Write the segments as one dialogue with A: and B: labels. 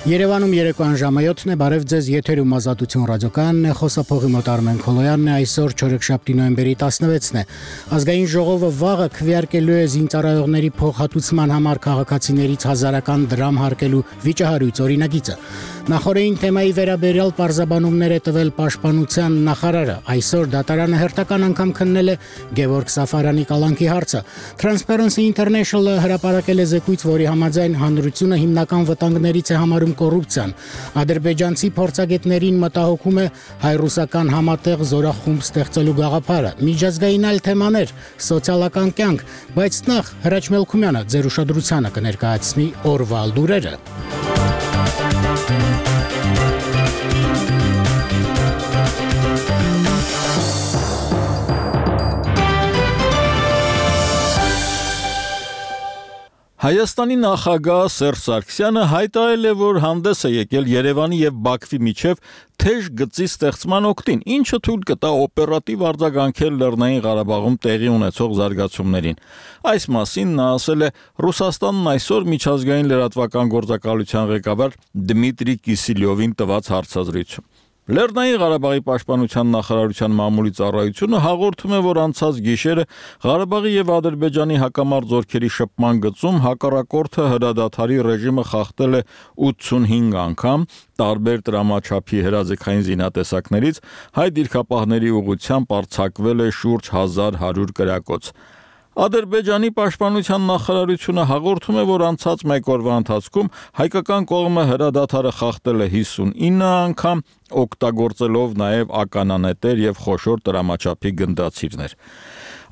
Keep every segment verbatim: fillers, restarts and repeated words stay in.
A: Երևանում երեկոյան ժամը յոթն է, բարև ձեզ, եթերում Ազատություն ռադիոկայանն է, խոսափողի մոտ Արմեն Քոլոյանն է, այսօր չորեքշաբթի նոյեմբերի տասնվեցն է։ Ազգային ժողովը վաղը քվեարկելու է զինծառայողների փոխհատուցման համար քաղաքացիներից հազարական դրամ հարկելու վիճահարույց օրինագիծը։ Նախորդին թեմայի վերաբերյալ պարզաբանումներ է տվել Պաշտպանության նախարարը, այսօր դատարանը հերթական անգամ քննել է Գևորգ Սաֆարյանի կալանքի հարցը։ Transparency International-ը հրապարակել է զեկույց, որի համաձայն հանրությունը հիմնական վտանգներից է համարում կոռուպցիան։ Ադրբեջանցի փորձագետներին մտահոգում է հայ-ռուսական համատեղ զորախումբ ստեղծելու գաղափարը։ Միջազգային այլ թեմաներ, սոցիալական կյանք, բայց նախ Հրաչ Մելքումյանը ձեր ուշադրությանը կներկայացնի օրվա լուրերը։
B: Հայաստանի նախագահ Սերժ Սարգսյանը հայտարարել է, որ հանդես է եկել Երևանի եւ Բաքվի միջև թեժ գծի ստեղծման օգտին, ինչը թույլ կտա օպերատիվ արձագանքել Լեռնային Ղարաբաղում տեղի ունեցող զարգացումներին։ Այս մասին նա ասել է Ռուսաստանն այսօր միջազգային լրատվական գործակալության ղեկավար Դմիտրի Կիսիլյովին տված հարցազրույցում։ Լեռնային Ղարաբաղի պաշտպանության նախարարության մամուլի ծառայությունը հաղորդում է, որ անցած գիշերը Ղարաբաղի եւ Ադրբեջանի հակամարտ զորքերի շփման գծում հակառակորդը հրադադարի ռեժիմը խախտել է ութսունհինգ անգամ, տարբեր տրամաչափի հրաձգային զինատեսակներից հայ դիրքապահների ուղղությամբ արձակվել է շուրջ հազար հարյուր կրակոց։ Ադրբեջանի պաշտպանության նախարարությունը հաղորդում է, որ անցած մեկ օրվա ընթացքում հայկական կողմը հրադադարը խախտել է հիսունինը անգամ, օգտագործելով նաև ականանետեր եւ խոշոր տրամաչափի գնդացիրներ։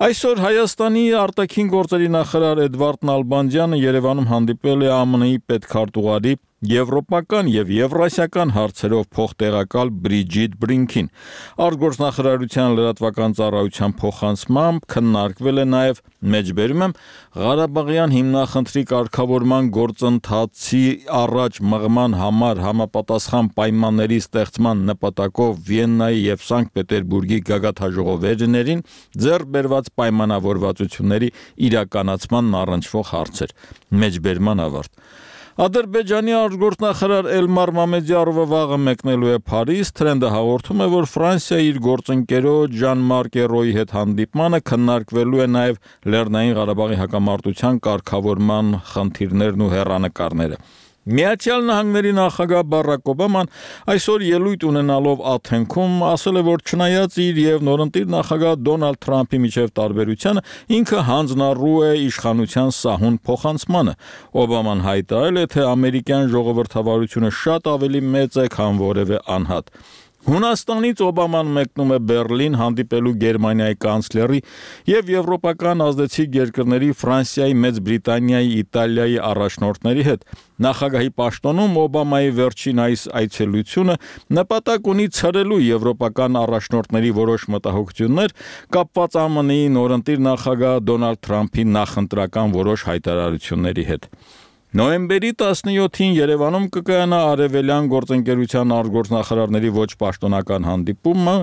B: Այսօր Հայաստանի արտաքին գործերի նախարար Էդվարդ Նալբանդյանը Երևանում հանդիպել է Α M N-ի պետքարտուղարի եվրոպական եւ եվրասիական հարցերով փոխտեղակալ Բրիջիտ Բրինքին։ Արտգործնախարարության լրատվական ծառայության փոխանցմամբ քննարկվել է նաեւ մեջբերում եմ Ղարաբաղյան հիմնախնդրի կարգավորման գործընթացի առաջ մղման համար համապատասխան պայմանների ստեղծման նպատակով Վիեննայի եւ Սանկտ Պետերբուրգի գագաթաժողովերներին ձեռք բերված պայմանավորվածությունների իրականացման առնչվող հարցեր։ Մեջբերման ավարտ։ Ադրբեջանի արտգործնախարար Էլմար Մամեդյարովը վաղը մեկնելու է Փարիզ, Թրենդը հաղորդում է, որ Ֆրանսիայի իր գործընկերոջ Ժան-Մարկ Էրոյի հետ հանդիպմանը քննարկվելու է նաև Լեռնային Ղարաբաղի հակամարտության կարգավորման խնդիրներն ու հեռանկարները։ Միացյալ Նահանգների նախագահ Բարակ Օբաման այսօր ելույթ ունենալով Աթենքում ասել է, որ չնայած իր եւ նորընտիր նախագահ Դոնալդ Թրամփի միջև տարբերությանը, ինքը հանձնառու է իշխանության սահուն փոխանցմանը։ Օբաման հայտարարել է, թե ամերիկյան ժողովրդավարությունը շատ ավելի մեծ է, քան որևէ անհատ։ Հունաստանից Օբաման մեկնում է Բերլին հանդիպելու Գերմանիայի կանցլերի եւ եվրոպական ազդեցիկ երկրների Ֆրանսիայի, Մեծ Բրիտանիայի, Իտալիայի առաջնորդների հետ։ Նախագահի պաշտոնում Օբամայի վերջին այս այցելությունը նպատակ ունի ցրելու եվրոպական առաջնորդների որոշ մտահոգություններ կապված Α M N-ի նորընտիր նախագահ Դոնալդ Թրամփի նախընտրական որոշ հայտարարությունների հետ։ Նոյեմբերի տասնյոթին Երևանում կկայանա Արևելյան գործընկերության արտգործնախարարների ոչ պաշտոնական հանդիպումը,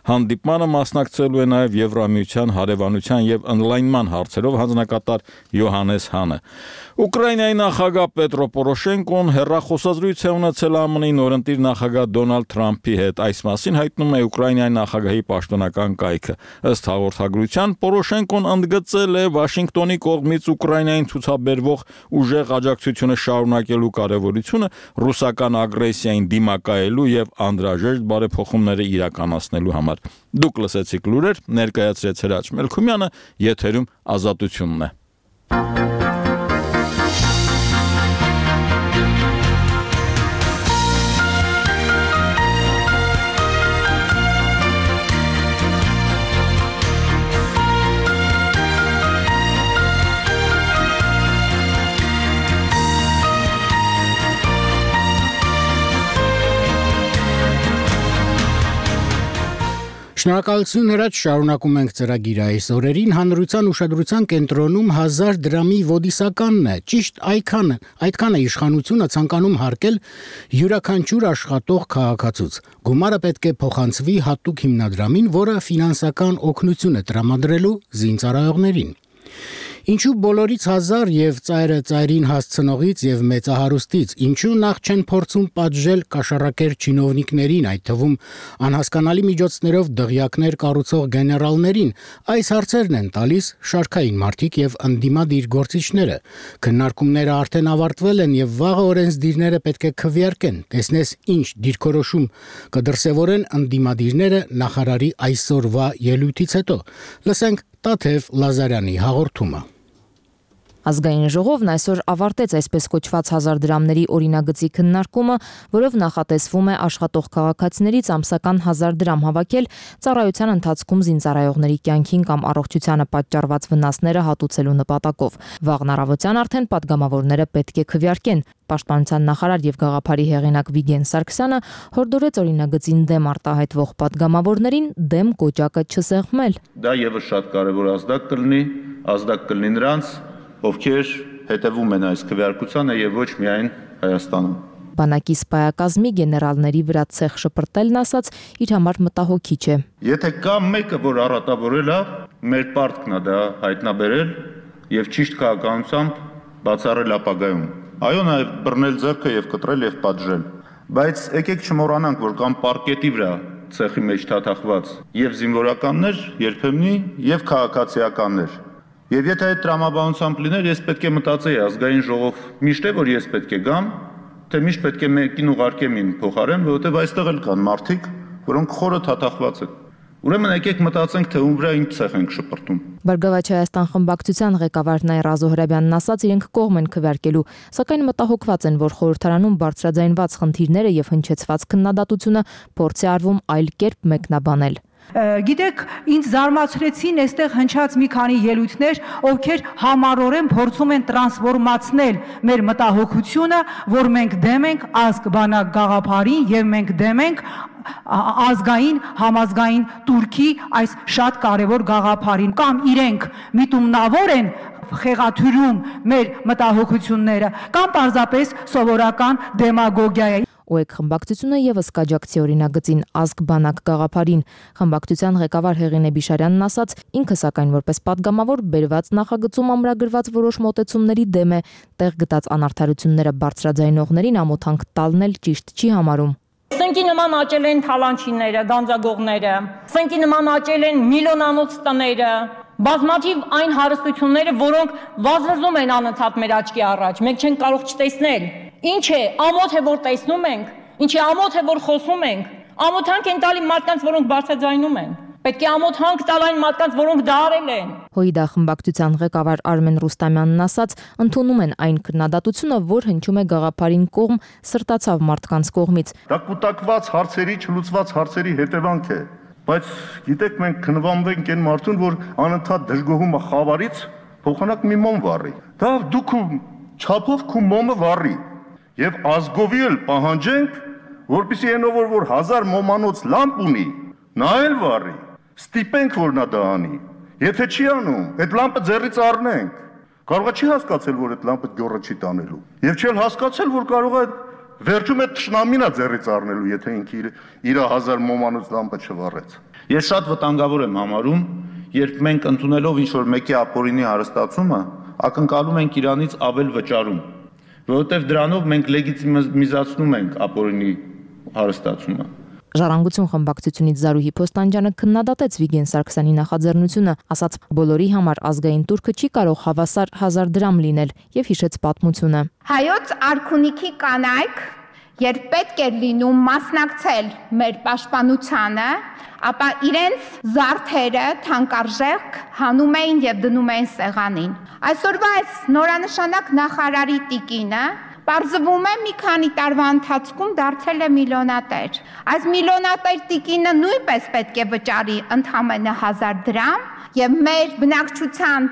B: հանդիպմանը մասնակցելու է նաև Եվրամիության հարևանության եւ ընդլայնման հարցերով հանձնակատար Յոհանես Հանը։ Ուկրաինայի նախագահ Պետրո Պորոշենկոն հեռախոսազրույց է ունեցել Α M N-ի նորընտիր նախագահ Դոնալդ Թրամփի հետ։ Այս մասին հայտնում է Ուկրաինայի նախագահի պաշտոնական կայքը։ Ըստ հաղորդագրության Պորոշենկոն ընդգծել է Վաշինգտոնի կողմից Ուկրաինային ցուցաբերվող ուժեղ աջակցությունը շարունակելու կարևորությունը ռուսական ագրեսիային դիմակայելու եւ անդրաժեշտ բարեփոխումները իրականացնելու համար։ Դուք լսեցիք լուրեր, ներկայացրեց Հրաչ Մելքումյանը, եթերում Ազատությունն է։
A: Շնորհակալություն Հրաչ, շարունակում ենք ծրագիրը այս օրերին հանրության ուշադրության կենտրոնում հազար դրամի ոդիսականն է։ Ճիշտ այդքան այդքան է իշխանությունը ցանկանում հարկել յուրաքանչյուր աշխատող քաղաքացուց։ Գումարը պետք է փոխանցվի հատուկ հիմնադրամին, որը ֆինանսական օգնություն է տրամադրելու զինծառայողներին։ Ինչու բոլորից հազար եւ ծայրը ծայրին հասցնողից եւ մեծահարուստից, ինչու նախ չեն փորձում պատժել կաշառակեր չինովնիկներին, այդ թվում անհասկանալի միջոցներով դղյակներ կառուցող գեներալներին, այս հարցերն են տալիս շարքային մարդիկ եւ ընդդիմադիր գործիչները։ Քննարկումները արդեն ավարտվել են եւ վաղը օրենսդիրները պետք է քվեարկեն, տեսնես ինչ դիրքորոշում կդրսևորեն ընդդիմադիրները նախարարի այսօրվա ելույթից հետո։ Լսենք Տաթև Լազարյանի հաղորդումը։
C: Ազգային ժողովն այսօր ավարտեց այսպես կոչված հազար դրամների օրինագծի քննարկումը, որով նախատեսվում է աշխատող քաղաքացիներից ամսական հազար դրամ հավաքել ծառայության ընթացքում զինծառայողների կյանքին կամ առողջությանը պատճառված վնասները հատուցելու նպատակով։ Վաղն առավոտյան արդեն падգամավորները պետք է քվեարկեն։ Պաշտպանության նախարար եւ գաղափարի հեղինակ Վիգեն Սարգսյանը հորդորեց օրինագծին դեմ արտահայտվող падգամավորներին դեմ կոճակը չսեղմել։
D: Դա եւս շատ կարեւոր ազդակ կլինի, ազդակ կլինի նրանց, ովքեր հետևում են այս քվեարկությանը եւ ոչ միայն Հայաստանում։
C: Բանակի սպայակազմի գեներալների վրա ցեխ շպրտելն ասաց իր համար մտահոգիչ է։
D: Եթե կա մեկը, որ առատավորել է, մեր պարտքն է դա հայտնաբերել եւ ճիշտ քաղաքականությամբ բացառել ապագայում։ Այո, նաեւ բռնել ձեռքը եւ կտրել եւ պատժել։ Բայց եկեք չմոռանանք, որ կան պարկետի վրա ցեխի մեջ թաթախված եւ զինվորականներ, երբեմնի եւ քաղաքացիականներ։ Եվ եթե այդ տրամաբանությամբ լիներ, ես պետք է մտածեի ազգային ժողով միշտ է, որ ես պետք է գամ, թե միշտ պետք է մեկին ուղարկեմ ին փոխարեն, որովհետև այստեղ էլ կան մարդիկ, որոնք խորը թաթախված են։ Ուրեմն եկեք մտածենք, թե ում վրա ինչ ցեխ ենք շպրտում։
C: Բարգավաճ Հայաստան խմբակցության ղեկավար Նայրազո Հրաբյանն ասաց, իրենք կողմ են քվեարկելու, սակայն մտահոգված են, որ խորհրդարանում բարձրաձայնված խնդիրները եւ հնչեցված քննադատությունը փորձ է արվում այլ կերպ մեկնաբանել։
E: Գիտեք, ինձ զարմացրեցին այստեղ հնչած մի քանի ելույթներ, ովքեր համառորեն փորձում են տրանսֆորմացնել մեր մտահոգությունը, որ մենք դեմ ենք ազգ-բանակ գաղափարին եւ մենք դեմ ենք ազգային, համազգային турքի այս շատ կարևոր գաղափարին, կամ իրենք միտումնավոր են խեղաթյուրում մեր մտահոգությունները, կամ պարզապես սովորական դեմագոգիա է։
C: ՕԵԿ խմբակցությունը եւս կաջակցի օրինագծին ազգ-բանակ գաղափարին։ Խմբակցության ղեկավար Հեղինե Բիշարյանն ասաց, ինքը սակայն որպես падգամավոր բերված նախագծում ամրագրված որոշ մոտեցումների դեմ է, տեղ գտած անարդարությունները բարձրաձայնողներին ամոթանք տալն էլ ճիշտ չի համարում։
F: Սնկի նման աճել են թալանչիները, գանձագողները, սնկի նման աճել են միլիոնանոց տները, բազմաթիվ այն հարստությունները, որոնք վազվզում են անընդհատ մեր աչքի առաջ, մենք չենք կարող չտեսնել։ Ինչ է, ամոթ է, որ տեսնում ենք, ինչ է, ամոթ է, որ խոսում ենք, ամոթանք են տալի մարդկանց, որոնք բարձրաձայնում են։ Պետք է ամոթանք տալ այն մարդկանց, որոնք դա արել են։
C: ՀՅԴ խմբակցության ղեկավար Արմեն Ռուստամյանն ասաց, ընդունում են այն քննադատությունը, որ հնչում է գաղափարին կողմ սրտացավ մարդկանց կողմից։
G: Դա կուտակված հարցերի, չլուծված հարցերի հետևանք է, բայց գիտեք, մենք քննվանվենք այն մարդուն, որ անընդհատ դժգոհում է խավարից, փոխանակ մի մոմ վառի։ Դա դուք չափով քու մոմը վառի։ Եվ ազգովի էլ պահանջենք, որպեսզի այնով որ հազար մոմանոց լամպ ունի, նա էլ վառի, ստիպենք, որ նա դա անի։ Եթե չի անում, այդ լամպը ձեռից առնենք։ Կարող է չի հասկացել, որ այդ լամպը գյոռը չի տանելու։ Եվ չի հասկացել, որ կարող է վերջում այդ թշնամին է ձեռից առնելու, եթե ինքը իր իր հազար մոմանոց լամպը չվառեց։
D: Ես շատ վտանգավոր եմ համարում, երբ մենք ընդունելով ինչ որ մեկի ապօրինի հարստացումը, ակնկալում ենք իրանից ավել վճարում, որովհետև դրանով մենք լեգիտիմիզացնում ենք ապօրինի հարստացումը։
C: Ժառանգություն խմբակցությունից Զարուհի Փոստանջյանը քննադատեց Վիգեն Սարգսյանի նախաձեռնությունը, ասաց, բոլորի համար ազգային турքը չի կարող հավասար հազար դրամ լինել եւ հիշեց պատմությունը։
H: Հայոց արքունիքի կանայք, երբ պետք էր լինում մասնակցել մեր պաշտպանությանը, ապա իրենց զարդերը թանկարժեք հանում էին եւ դնում էին սեղանին։ Այսօրվա այս նորանշանակ նախարարի տիկինը պարզվում է մի քանի տարվա ընթացքում դարձել է միլիոնատեր։ Այս միլիոնատեր տիկինը նույնպես պետք է վճարի ընդամենը հազար դրամ եւ մեր բնակչության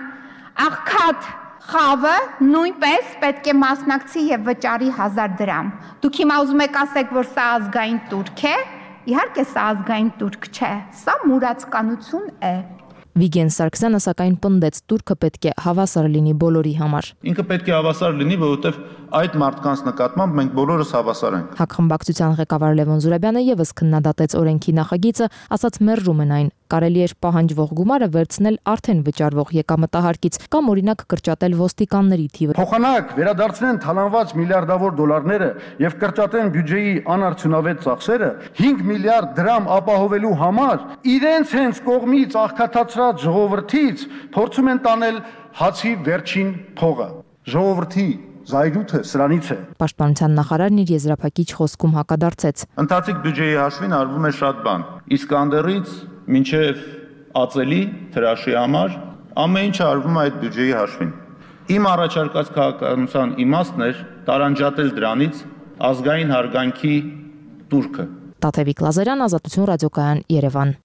H: աղքատ խավը նույնպես պետք է մասնակցի եւ վճարի հազար դրամ։ Դուք հիմա ուզում եք ասեք, որ սա ազգային турք է։ Իհարկե սա ազգային турք չէ, սա մուրացկանություն է։
C: Վիգեն Սարգսյանը սակայն պնդեց, տուրքը պետք է հավասար լինի բոլորի համար։
D: Ինքը պետք է հավասար լինի, որովհետև այդ մարդկանց նկատմամբ մենք բոլորս հավասար ենք։
C: Հակխմբակցության ղեկավար Լևոն Զուրաբյանը եւս քննադատեց օրենքի նախագիծը, ասաց մերժում են այն։ Կարելի էր պահանջվող գումարը վերցնել արդեն վճարվող եկամտահարկից կամ օրինակ կրճատել ոստիկանների թիվը։
G: Փոխանակ վերադարձնեն թալանված միլիարդավոր դոլարները եւ կրճատեն բյուջեի անարդյունավետ ծախսերը հինգ միլիարդ դրամ ապահովելու համար իրենց հենց կողմից աղքատացրած ժողովրդից փորձում են տանել հացի վերջին փողը։ Ժողովրդի զայրույթը սրանից է։
C: Պաշտպանության նախարարն իր եզրափակիչ խոսքում հակադարձեց։
D: Ընթացիկ բյուջեի հաշվին արվում է շատ բան։ Իսկանդերից մինչև ածելի թրաշի համար ամեն ինչը արվում է այդ բյուջեի հաշվին։ Իմ առաջարկած քաղաքականության իմաստն էր տարանջատել դրանից ազգային հարգանքի տուրքը։
C: Տաթևիկ Լազարյան, Ազատություն ռադիոկայան, Երևան։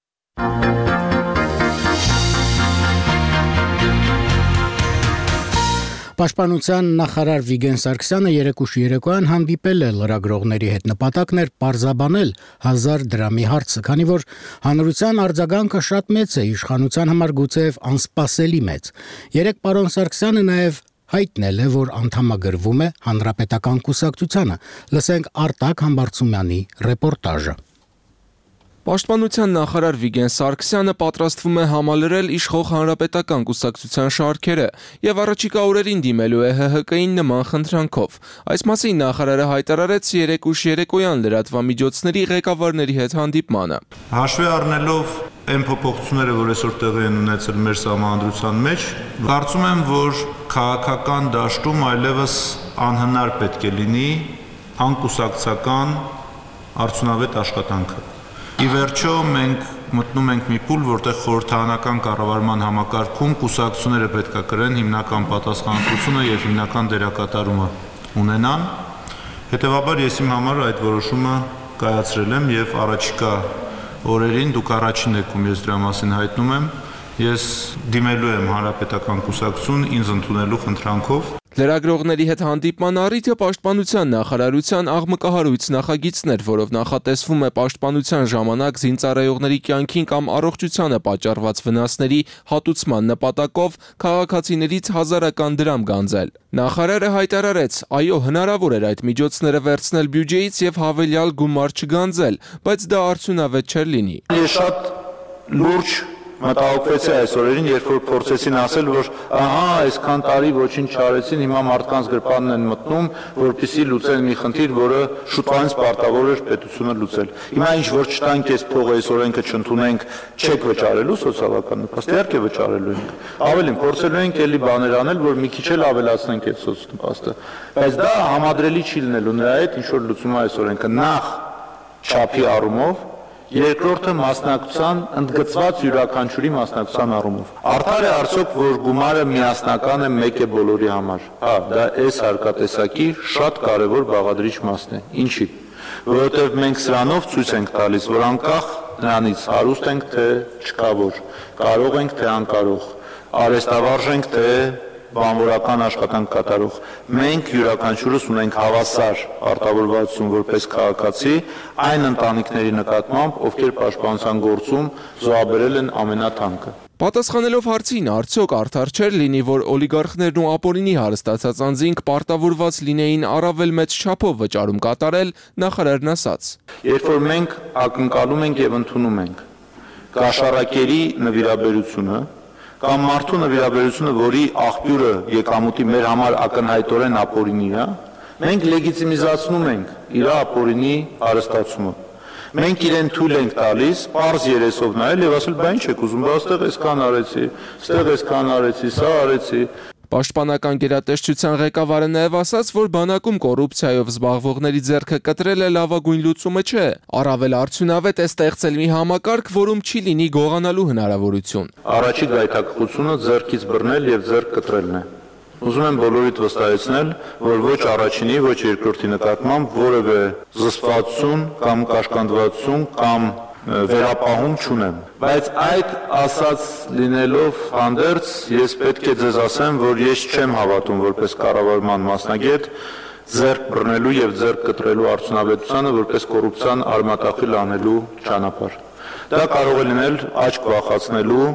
A: Պաշտպանության նախարար Վիգեն Սարգսյանը երեկուշ երեկոյան հանդիպել է լրագրողների հետ, նպատակն էր պարզաբանել հազար դրամի հարցը, քանի որ հանրության արձագանքը շատ մեծ է, իշխանության համար գուցեև անսպասելի մեծ։ Երեք պարոն Սարգսյանը նաև հայտնել է, որ անդամագրվում է Հանրապետական կուսակցությանը։ Լսենք Արտակ Համբարձումյանի ռեպորտաժը։
I: Պաշտպանության նախարար Վիգեն Սարգսյանը պատրաստվում է համալրել իշխող Հանրապետական կուսակցության շարքերը եւ առաջիկա օրերին դիմելու է Հ Հ Կ-ին նման խնդրանքով։ Այս մասին նախարարը հայտարարեց երեկուշ երեկոյան լրատվամիջոցների ղեկավարների հետ հանդիպմանը։
D: Հաշվի առնելով այն փոփոխությունները, որ այսօր տեղի են ունեցել մեր սահմանադրության մեջ, կարծում եմ, որ քաղաքական դաշտում այլևս անհնար պետք է լինի անկուսակցական արդյունավետ աշխատանքը։ Ի վերջո մենք մտնում ենք մի փուլ, որտեղ խորհրդարանական կառավարման համակարգում կուսակցությունները պետք է կրեն հիմնական պատասխանատվությունը եւ հիմնական դերակատարումը ունենան։ Հետևաբար ես իմ համար այդ որոշումը կայացրել եմ եւ առաջիկա օրերին դուք առաջին եք, ում ես դրա մասին հայտնում եմ, ես դիմելու եմ Հանրապետական կուսակցություն ինձ ընդունելու խնդրանքով։
I: Լրագրողների հետ հանդիպման առիթը պաշտպանության նախարարության աղմկահարույց նախագիծն էր, որով նախատեսվում է պաշտպանության ժամանակ զինծառայողների կյանքին կամ առողջությանը պատճառված վնասների հատուցման նպատակով քաղաքացիներից հազարական դրամ գանձել։ Նախարարը հայտարարեց, այո, հնարավոր էր այդ միջոցները վերցնել բյուջեից եւ հավելյալ գումար չգանձել, բայց դա արդյունավետ չէր լինի։
D: Ես շատ լուրջ մտահոգվեցի այս օրերին, երբ որ փորձեցին ասել, որ ահա, այսքան տարի ոչինչ չարեցին, հիմա մարդկանց գրպանն են մտնում, որպեսզի լուծեն մի խնդիր, որը շուտվանից պարտավոր էր պետությունը լուծել։ Հիմա ինչ որ չտանք այս փողը, այս օրենքը չընդունենք, չեք վճարելու սոցիալական նպաստ, իհարկե վճարելու ենք։ Ավելին, փորձելու ենք էլի բաներ անել, որ մի քիչ էլ ավելացնենք այդ սոցնպաստը։ Բայց դա համադրելի չի լինելու նրա հետ, ինչ որ լուծում է այս օրենքը, նախ չափի առումով, երկրորդը մասնակցության ընդգծված յուրաքանչյուրի մասնակցության առումով։ Արդար է արդյոք, որ գումարը միասնական է, մեկ է բոլորի համար։ Հա, դա այս հարկատեսակի շատ կարևոր բաղադրիչ մասն է։ Ինչի՞։ Որովհետև մենք սրանով ցույց ենք տալիս, որ անկախ նրանից հարուստ ենք, թե չկավոր, կարող ենք, թե անկարող, արհեստավարժ ենք, թե բանվորական աշխատանք կատարող։ Մենք յուրաքանչյուրս ունենք հավասար արտավորվածություն որպես քաղաքացի այն ընտանիքների նկատմամբ, ովքեր պաշտպանության գործում զոհաբերել են ամենաթանկը։
I: Պատասխանելով հարցին, արդյոք արդար չէր լինի, որ օլիգարխներն ու ապօրինի հարստացած անձինք պարտավորված լինեին առավել մեծ չափով վճարում կատարել, նախարարն ասաց.
D: Երբ որ մենք ակնկալում ենք եւ ընդունում ենք կաշառակերի նվիրաբերությունը կամ մարդու նվիրաբերությունը, որի աղբյուրը եկամուտի մեր համար ակնհայտորեն ապօրինի է, մենք լեգիտիմիզացնում ենք իր ապօրինի հարստացումը։ Մենք իրեն թույլ ենք տալիս պարզ երեսով նայել եւ ասել, բա ինչ եք ուզում, բա այստեղ այսքան արեցի, այստեղ այսքան արեցի, սա արեցի։
I: Պաշտպանական գերատեսչության ղեկավարը նաև ասաց, որ բանակում կոռուպցիայով զբաղվողների ձեռքը կտրելը լավագույն լուծումը չէ։ Առավել արդյունավետ է ստեղծել մի համակարգ, որում չի լինի գողանալու հնարավորություն։
D: Առաջի գայթակղությունը ձեռքից բռնել եւ ձեռք կտրելն է։ Ուզում եմ բոլորիդ վստահեցնել, որ ոչ առաջինի, ոչ երկրորդի նկատմամբ որևէ զսպվածություն կամ կաշկանդվածություն կամ վերապահում չունեմ։ Բայց այդ ասած լինելով հանդերձ, ես պետք է ձեզ ասեմ, որ ես չեմ հավատում որպես կառավարման մասնագետ ձեռք բռնելու եւ ձեռք կտրելու արդյունավետությանը որպես կոռուպցիան արմատախիլ անելու ճանապարհ։ Դա կարող է լինել աչք վախացնելու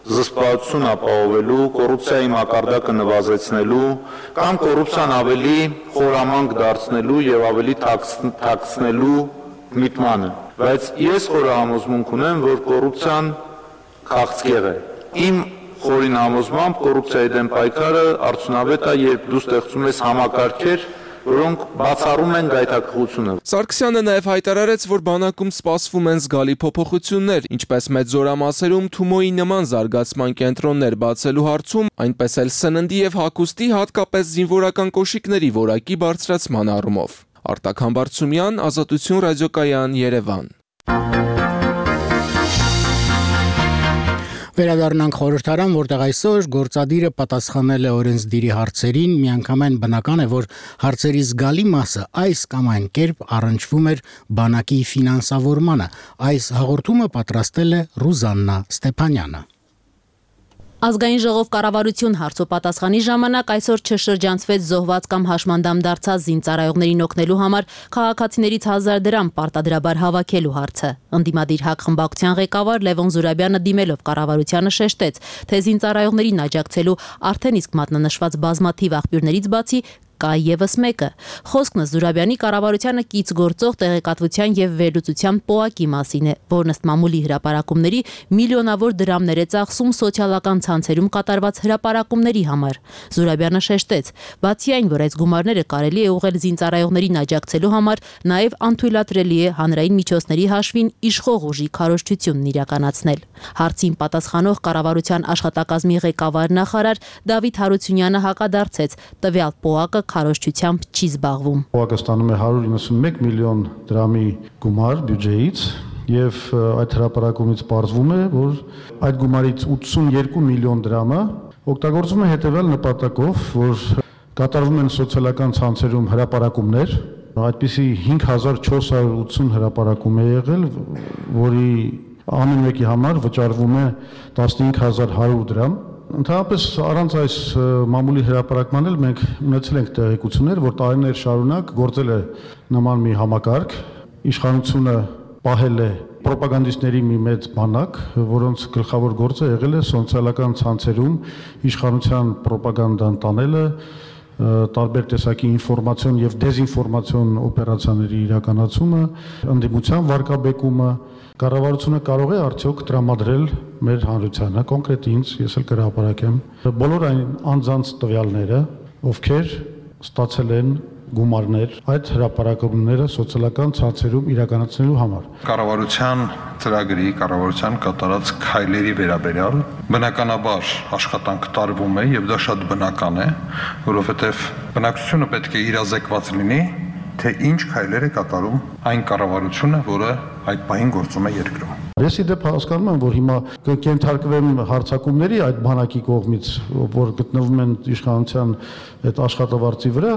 D: զսպվածություն ապահովելու, կոռուպցիայի մակարդակը նվազեցնելու կամ կոռուպցիան ավելի խորամանկ դարձնելու եւ ավելի թաքցնելու միտմանը, բայց ես խորը համոզմունք ունեմ, որ կոռուպցիան քաղցկեղ է։ Իմ խորին համոզմամբ կոռուպցիայի դեմ պայքարը արդյունավետ է, երբ դու ստեղծում ես համակարգեր, որոնք բացառում են գայթակղությունը։
I: Սարգսյանը նաև հայտարարեց, որ բանակում սպասվում են զգալի փոփոխություններ, ինչպես մեծ զորամասերում Թումոյի նման զարգացման կենտրոններ բացելու հարցում, այնպես էլ սննդի եւ հագուստի, հատկապես զինվորական կոշիկների որակի բարձրացման առումով։ Արտակ Համբարձումյան, Ազատություն ռադիոկայան, Երևան։
A: Վերադառնանք խորհրդարան, որտեղ այսօր գործադիրը պատասխանել է օրենսդիրի հարցերին, միանգամայն բնական է, որ հարցերի զգալի մասը այս կամ այն կերպ առնչվում էր բանակի ֆինանսավորմանը։ Այս հաղորդումը պատրաստել է Ռուզաննա Ստեփանյանը։
J: Ազգային ժողով կառավարություն հարցոպատասխանի ժամանակ այսօր չշրջանցվեց զոհված կամ հաշմանդամ դարձած զինծառայողներին օգնելու համար քաղաքացիներից հազար դրամ պարտադրաբար հավաքելու հարցը։ Ընդդիմադիր ՀԱԿ խմբակցության ղեկավար Լևոն Զուրաբյանը դիմելով կառավարությանը շեշտեց, թե զինծառայողներին աջակցելու արդեն իսկ մատնանշված բազմաթիվ աղբյուրներից բացի կա եւս մեկը։ Խոսքն Զուրաբյանի կառավարությանը կից գործող տեղեկատվության եւ վերլուծության պոակի մասին է, որն ըստ մամուլի հրապարակումների միլիոնավոր դրամներ է ծախսում սոցիալական ցանցերում կատարված հրապարակումների համար։ Զուրաբյանը շեշտեց, բացի այն, որ այս գումարները կարելի է ուղղել զինծառայողներին աջակցելու համար, նաեւ անթույլատրելի է հանրային միջոցների հաշվին իշխող ուժի քարոզչությունն իրականացնել։ Հարցին պատասխանող կառավարության աշխատակազմի ղեկավար նախարար Դավիթ Հարությունյանը հակադարձեց, տվյալ պոակը քարոզչությամբ չի զբաղվում։
K: Պոակը ստանում է հարյուր իննսունմեկ միլիոն դրամի գումար բյուջեից եւ այդ հրապարակումից պարզվում է, որ այդ գումարից ութսունյոթ միլիոն դրամը օգտագործվում է հետեւյալ նպատակով, որ կատարվում են սոցիալական ցանցերում հրապարակումներ, այդպիսի հինգ հազար չորս հարյուր ութսուն հրապարակում է եղել, որի ամեն մեկի համար վճարվում է տասնհինգ հազար հարյուր դրամ։ Ընդհանրապես առանց այս մամուլի հրապարակման էլ մենք ունեցել ենք տեղեկություններ, որ տարիներ շարունակ գործել է նման մի համակարգ, իշխանությունը պահել է պրոպագանդիստների մի մեծ բանակ, որոնց գլխավոր գործը եղել է սոցիալական ցանցերում իշխանության պրոպագանդան տանելը, տարբեր տեսակի ինֆորմացիոն եւ դեզինֆորմացիոն օպերացիաների իրականացումը, ընդդիմության վարկաբեկումը։ Կառավարությունը կարող է արդյոք տրամադրել մեր հանրությանը, կոնկրետ ինձ, ես էլ կհրապարակեմ, բոլոր այն անձանց տվյալները, ովքեր ստացել են գումարներ այդ հրապարակումները սոցիալական ցանցերում իրականացնելու համար։
L: Կառավարության ծրագրի, կառավարության կատարած քայլերի վերաբերյալ բնականաբար աշխատանք տարվում է եւ դա շատ բնական է, որովհետեւ բնակչությունը պետք է իրազեկված լինի, թե ինչ քայլեր է կատարում այն կառավարությունը, որը այդ պահին գործում է երկրում։
K: Ես իդեպ հասկանում եմ, որ հիմա կենթարկվեմ հարձակումների այդ բանակի կողմից, որ գտնվում են իշխանության այդ աշխատավարձի վրա,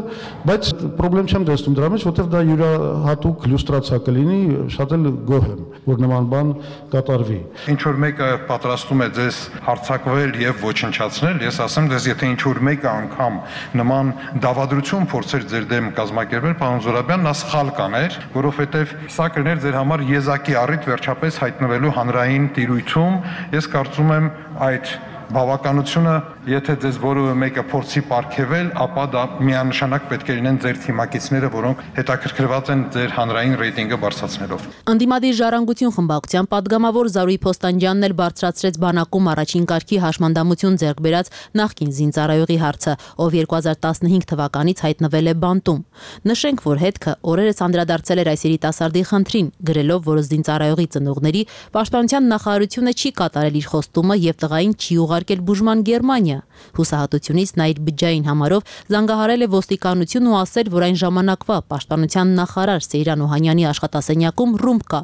K: բայց խնդրեմ չեմ տեսնում դրա մեջ, որտեղ դա յուրահատուկ լյուստրացիա կլինի, շատ էլ գոհ եմ, որ նման բան կատարվի։
L: Ինչ որ մեկը պատրաստում է ձեզ հարձակվել եւ ոչնչացնել, ես ասեմ դες եթե ինչ որ մեկը անգամ նման դավադրություն փորձեր ձեր դեմ կազմակերպել, պարոն Զուրաբյան, նա սխալ կաներ, որովհետեւ սա կներ ձեր համար եզակի առիթ վերջապես հայտնվելու հանրային տիրույթում, ես կարծում եմ այդ բավականությունը, եթե ձեզ որևէ մեկը փորձի պարգևել, ապա դա միանշանակ պետք է լինեն ձեր թիմակիցները, որոնք հետաքրքրված են ձեր հանրային ռեյտինգը բարձրացնելով։
J: Ընդդիմադիր ժառանգություն խմբակցության падգամավոր Զարուհի Փոստանջյանն էլ բարձրացրեց բանակում առաջին կարգի հաշմանդամություն ձեռք բերած նախկին զինծառայողի հարցը, ով երկու հազար տասնհինգ թվականից հայտնվել է բանտում։ Նշենք, որ հետքը օրերս անդրադարձել էր այս երիտասարդի խնդրին, գրելով, որ զինծառայողի ծնողների պաշտպանության նախարարությունը չի կատարել իր խոստումը եւ տղային չի ուղարկել բուժման Գերմանիա։ Հուսահատությունից նա իր բջջային համարով զանգահարել է ոստիկանություն ու ասել, որ այն ժամանակվա պաշտպանության նախարար Սեյրան Օհանյանի աշխատասենյակում ռումբ կա։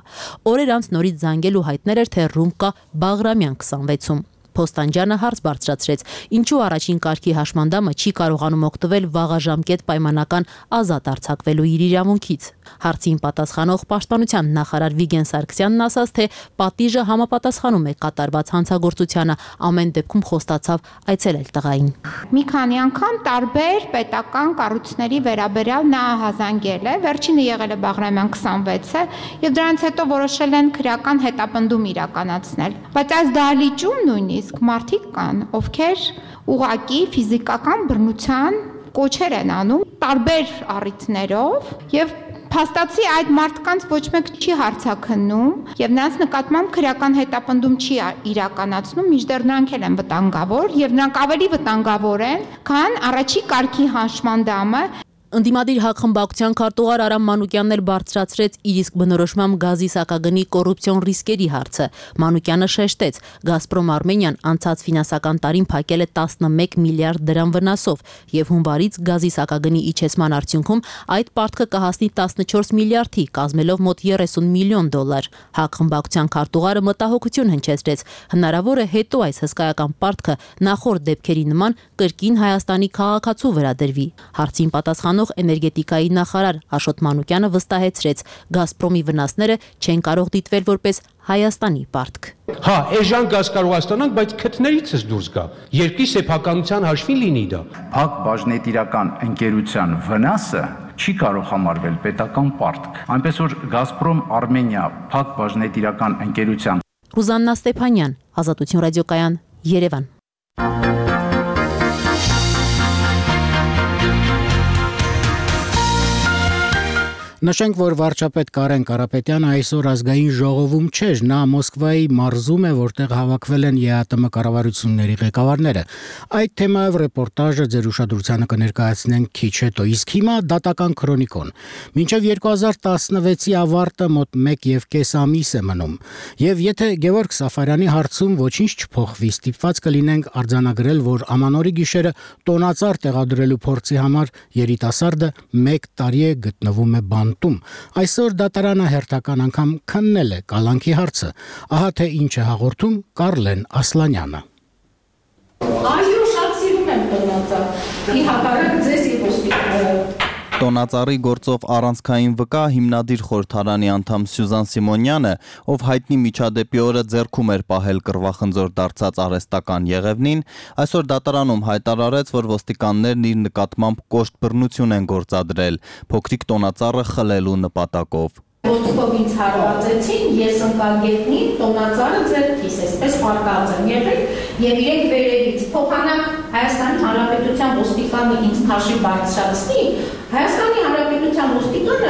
J: Օրեր անց նորից զանգել ու հայտնել էր, թե ռումբ կա Բաղրամյան քսանվեցում։ Փոստանջյանը հարց բարձրացրեց, ինչու առաջին կարգի հաշմանդամը չի կարողանում օգտվել վաղաժամկետ պայմանական ազատ արձակվելու իր իրավունքից։ Հարցին պատասխանող պաշտպանության նախարար Վիգեն Սարգսյանն ասաց, թե պատիժը համապատասխանում է կատարված հանցագործությանը, ամեն դեպքում խոստացավ այցելել տղային։
H: Մի քանի անգամ տարբեր պետական կառույցների վերաբերյալ նա հազանգել է, վերջինը եղել է Բաղրամյան քսանվեցը, եւ դրանից հետո որոշել են քրեական հետապնդում իրականացնել։ Բայց այս դահլիճում նույնիսկ իսկ մարդիկ կան, ովքեր ուղղակի ֆիզիկական բռնության կոչեր են անում տարբեր առիթներով եւ փաստացի այդ մարդկանց ոչ մեկ չի հարցաքննում եւ նրանց նկատմամբ քրեական հետապնդում չի իրականացնում, մինչդեռ նրանք էլ են վտանգավոր եւ նրանք ավելի վտանգավոր են, քան առաջի կարգի հաշմանդամը։
J: Ընդդիմադիր հակխմբակցության քարտուղար Արամ Մանուկյանն էլ բարձրացրեց իր իսկ բնորոշմամբ գազի սակագնի կոռուպցիոն ռիսկերի հարցը։ Մանուկյանը շեշտեց, Գազպրոմ Արմենիան անցած ֆինանսական տարին փակել է տասնմեկ միլիարդ դրամ վնասով եւ հունվարից գազի սակագնի իջեցման արդյունքում այդ պարտքը կհասնի տասնչորս միլիարդի, կազմելով մոտ երեսուն միլիոն դոլար։ Հակխմբակցության քարտուղարը մտահոգություն հնչեցրեց, հնարավոր է հետո այս հսկայական պարտքը նախորդ դեպքերի նման կրկին Հայաստանի քաղաքացու վրա դրվի։ Հարցին պատասխան էներգետիկայի նախարար Աշոտ Մանուկյանը վստահեցրեց, Գազպրոմի վնասները չեն կարող դիտվել որպես Հայաստանի պարտք։
M: Հա, էժան գազ կարող ստանանք, բայց քթներիցս դուրս գա։ Երկրի սեփականության հաշվին լինի դա։
N: Փակ բաժնետիրական ընկերության վնասը չի կարող համարվել պետական պարտք։ Այնպես որ Գազպրոմ Արմենիա փակ բաժնետիրական ընկերության
J: Ռուզաննա Ստեփանյան, Ազատություն ռադիոկայան, Երևան։
A: Նշենք, որ վարչապետ Կարեն Կարապետյանը այսօր ազգային ժողովում չէր, նա Մոսկվայի մարզում է, որտեղ հավաքվել են ԵԱՏՄ կառավարությունների ղեկավարները։ Այդ թեմայով ռեպորտաժը ձեր ուշադրությանը կներկայացնենք քիչ հետո, իսկ հիմա դատական քրոնիկոն։ Մինչև երկու հազար տասնվեցի ավարտը մոտ մեկ եւ կես ամիս է մնում։ Եվ եթե Գևորգ Սաֆարյանի հարցում ոչինչ չփոխվի, ստիպված կլինենք արձանագրել, որ ամանորի գիշերը տոնածառ տեղադրելու փորձի համար երիտասարդը մեկ տարի է գտնվում է բան Այսօր դատարանը հերթական անգամ քննել է կալանքի հարցը։ Ահա թե ինչ է հաղորդում Կարլեն Ասլանյանը։
O: Այո, շատ սիրում եմ տոնածառ։ Ի հակառակ ձեզ եւ ոստիկանները։
P: Տոնածառի գործով առանցքային վկա հիմնադիր խորհրդարանի անդամ Սյուզան Սիմոնյանը, ով հայտնի միջադեպի օրը ձեռքում էր պահել կռվախնձոր դարձած արհեստական Եղևնին, այսօր դատարանում հայտարարեց, որ ոստիկաններն իր նկատմամբ կոշտ բռնություն են գործադրել, փոքրիկ տոնածառը խլելու նպատակով։
O: Ոտքով ինձ հարվածեցին, ես ընկա գետնին, տոնածառը ձեռքիս, այսպես պարկած եմ եղել եւ իրենք վերևից փոխանակ Հայաստանի Հանրապետության ոստիկանը ինձ քաշի բարձրացնի, Հայաստանի Հանրապետության ոստիկանը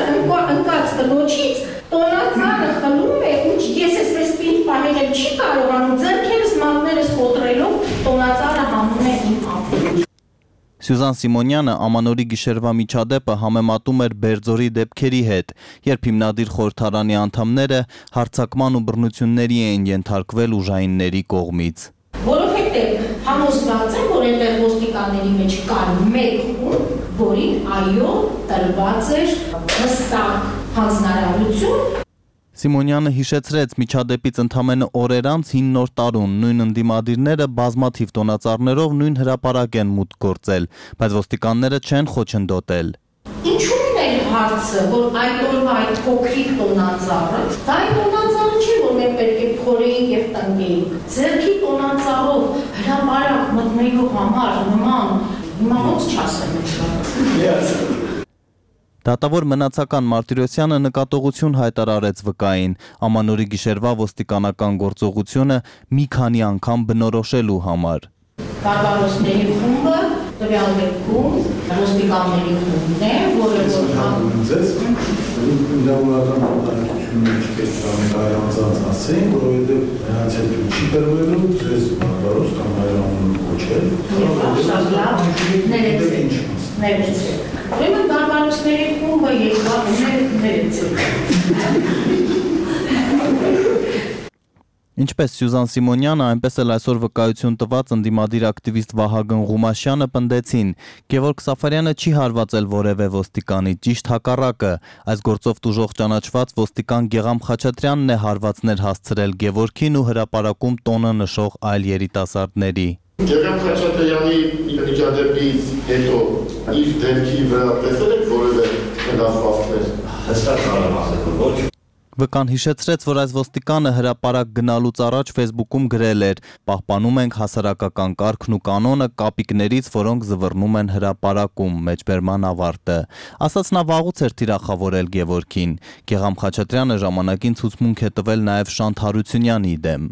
O: ընկած կնոջից տոնածառը խլում է, ու ես այսպես պինդ պահել չի կարողանում, ձեռքերս մատներս խոտրելով տոնածառը հանում է իմ ափին։
P: Սյուզան Սիմոնյանը ամանորի գիշերվա միջադեպը համեմատում էր Բերձորի դեպքերի հետ, երբ հիմնադիր խորհրդարանի անդամները հարձակման ու բռնությունների էին ենթարկվել ուժայինների կողմից։
O: Որովհետև համոզված եմ, որ այնտեղ ոստիկանների մեջ կար մեկ խումբ, որին այո տրված էր հստակ հանձնարարություն։
P: Սիմոնյանը հիշեցրեց միջադեպից ընդամենը օրեր անց հին նոր տարուն, նույն ընդդիմադիրները բազմաթիվ տոնածառներով նույն հրապարակ են մուտք գործել, բայց ոստիկանները չեն խոչընդոտել։
O: Ինչու՞ն է հարցը, որ այդ օրվա այդ փոքրիկ տոնածառը, դա այդ տոնածառը չի, որ մենք պետք է փորեինք եւ տնկեինք։ Ձեռքի տոնածառով հրապարակ մտնելու համար նման հիմա ոնց չասեմ այդ։
P: Դատավոր մնացական Մարտիրոսյանը նկատողություն հայտարարեց վկային, ամանորի գիշերվա ոստիկանական գործողությունը մի քանի անգամ բնորոշելու համար։
O: Բարբարոսների խումբը տվյալ դեպքում ոստիկանների խումբն է, որը որ
K: ձեզ իրավունական պատասխանատվությունից պետք է անձանց ասեն, որովհետև նրանց հետ չի տրվելու ձեզ բարբարոս կամ հայրամուն կոչել։
O: Շատ լավ, ներեցեք, ներեցեք։ Ուրեմն բարբարոսների խումբը եկավ ներեցեք։
P: Ինչպես Սյուզան Սիմոնյանը, այնպես էլ այսօր վկայություն տված ընդդիմադիր ակտիվիստ Վահագն Ղումաշյանը պնդեցին, Գևորգ Սաֆարյանը չի հարվածել որևէ ոստիկանի, ճիշտ հակառակը, այս գործով տուժող ճանաչված ոստիկան Գեգամ Խաչատրյանն է հարվածներ հասցրել Գևորգին ու հրապարակում տոնը նշող այլ երիտասարդների։
Q: Գեգամ Խաչատրյանի միջադեպից հետո իր դեմքի վրա տեսել եք որևէ վնասվածքներ։ Հստակ կարող ասել, ոչ։
P: վկան հիշեցրեց, որ այս ոստիկանը հրապարակ գնալուց առաջ Facebook-ում գրել էր. «Պահպանում ենք հասարակական կարգն ու կանոնը կապիկներից, որոնք զվռնում են հրապարակում», մեջբերման ավարտը։ Ասաց նա վաղուց էր թիրախավորել Գևորգին։ Գեգամ Խաչատրյանը ժամանակին ցուցմունք է տվել նաև Շանթ Հարությունյանի դեմ։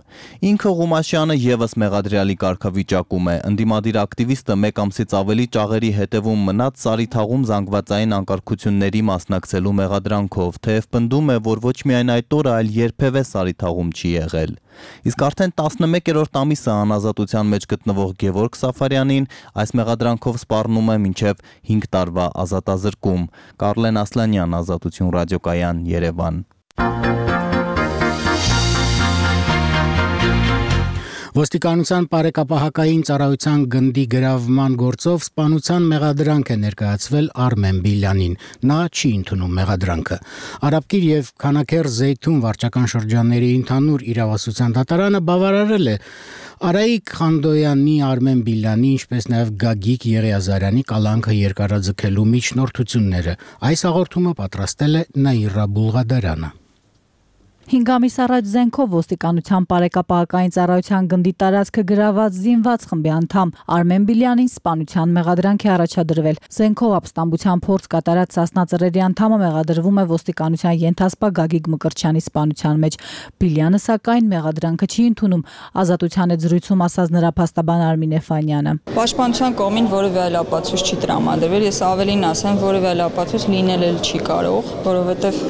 P: Ինքը Ղումաշյանը եւս մեղադրյալի կարգավիճակում է։ Ընդդիմադիր ակտիվիստը մեկ ամսից ավելի ճաղերի հետևում մնաց Սարիթաղում զանգվածային անկարգությունների մասնակցելու մեղադրանքով, թեև պնդում է, որ ոչ միայն այդ օրը, այլ երբևէ Սարիթաղում չի եղել։ Իսկ արդեն տասնմեկերորդ ամիսը անազատության մեջ գտնվող Գևորգ Սաֆարյանին այս մեղադրանքով սպառնում է մինչև հինգ տարվա ազատազրկում։ Կարլեն Ասլանյան, Ազատություն ռադիոկայան, Երևան։
A: Ոստիկանության բարեկապահակային ծառայության գնդի գրավման գործով սպանության մեղադրանք է ներկայացվել Արմեն Բիլյանին։ Նա չի ընդունում մեղադրանքը։ Արաբկիր եւ Քանաքեռ Զեյթուն վարչական շրջանների ընդհանուր իրավասության դատարանը բավարարել է Արայիկ Խանդոյանի, Արմեն Բիլյանի, ինչպես նաև Գագիկ Եղիազարյանի կալանքը երկարաձգելու միջնորդությունները։ Այս հաղորդումը պատրաստել է Նաիրա Բուլղադարյանը։
R: հինգ ամիս առաջ զենքով ոստիկանության բարեկապահական ծառայության գնդի տարածքը գրաված զինված խմբի անդամ Արմեն Բիլյանին սպանության մեղադրանք է առաջադրվել։ Զենքով ապստամբության փորձ կատարած Սասնա ծռերի անդամը մեղադրվում է ոստիկանության ենթասպա Գագիկ Մկրտչյանի սպանության մեջ։ Բիլյանը սակայն մեղադրանքը չի ընդունում, ազատության է զրույցում ասաց նրա փաստաբան Արմին Էֆանյանը։
S: Պաշտպանության կողմին որևէ այլ ապացույց չի տրամադրվել, ես ավելին ասեմ, որևէ այլ ապացույց լինել էլ չի կարող, որովհետև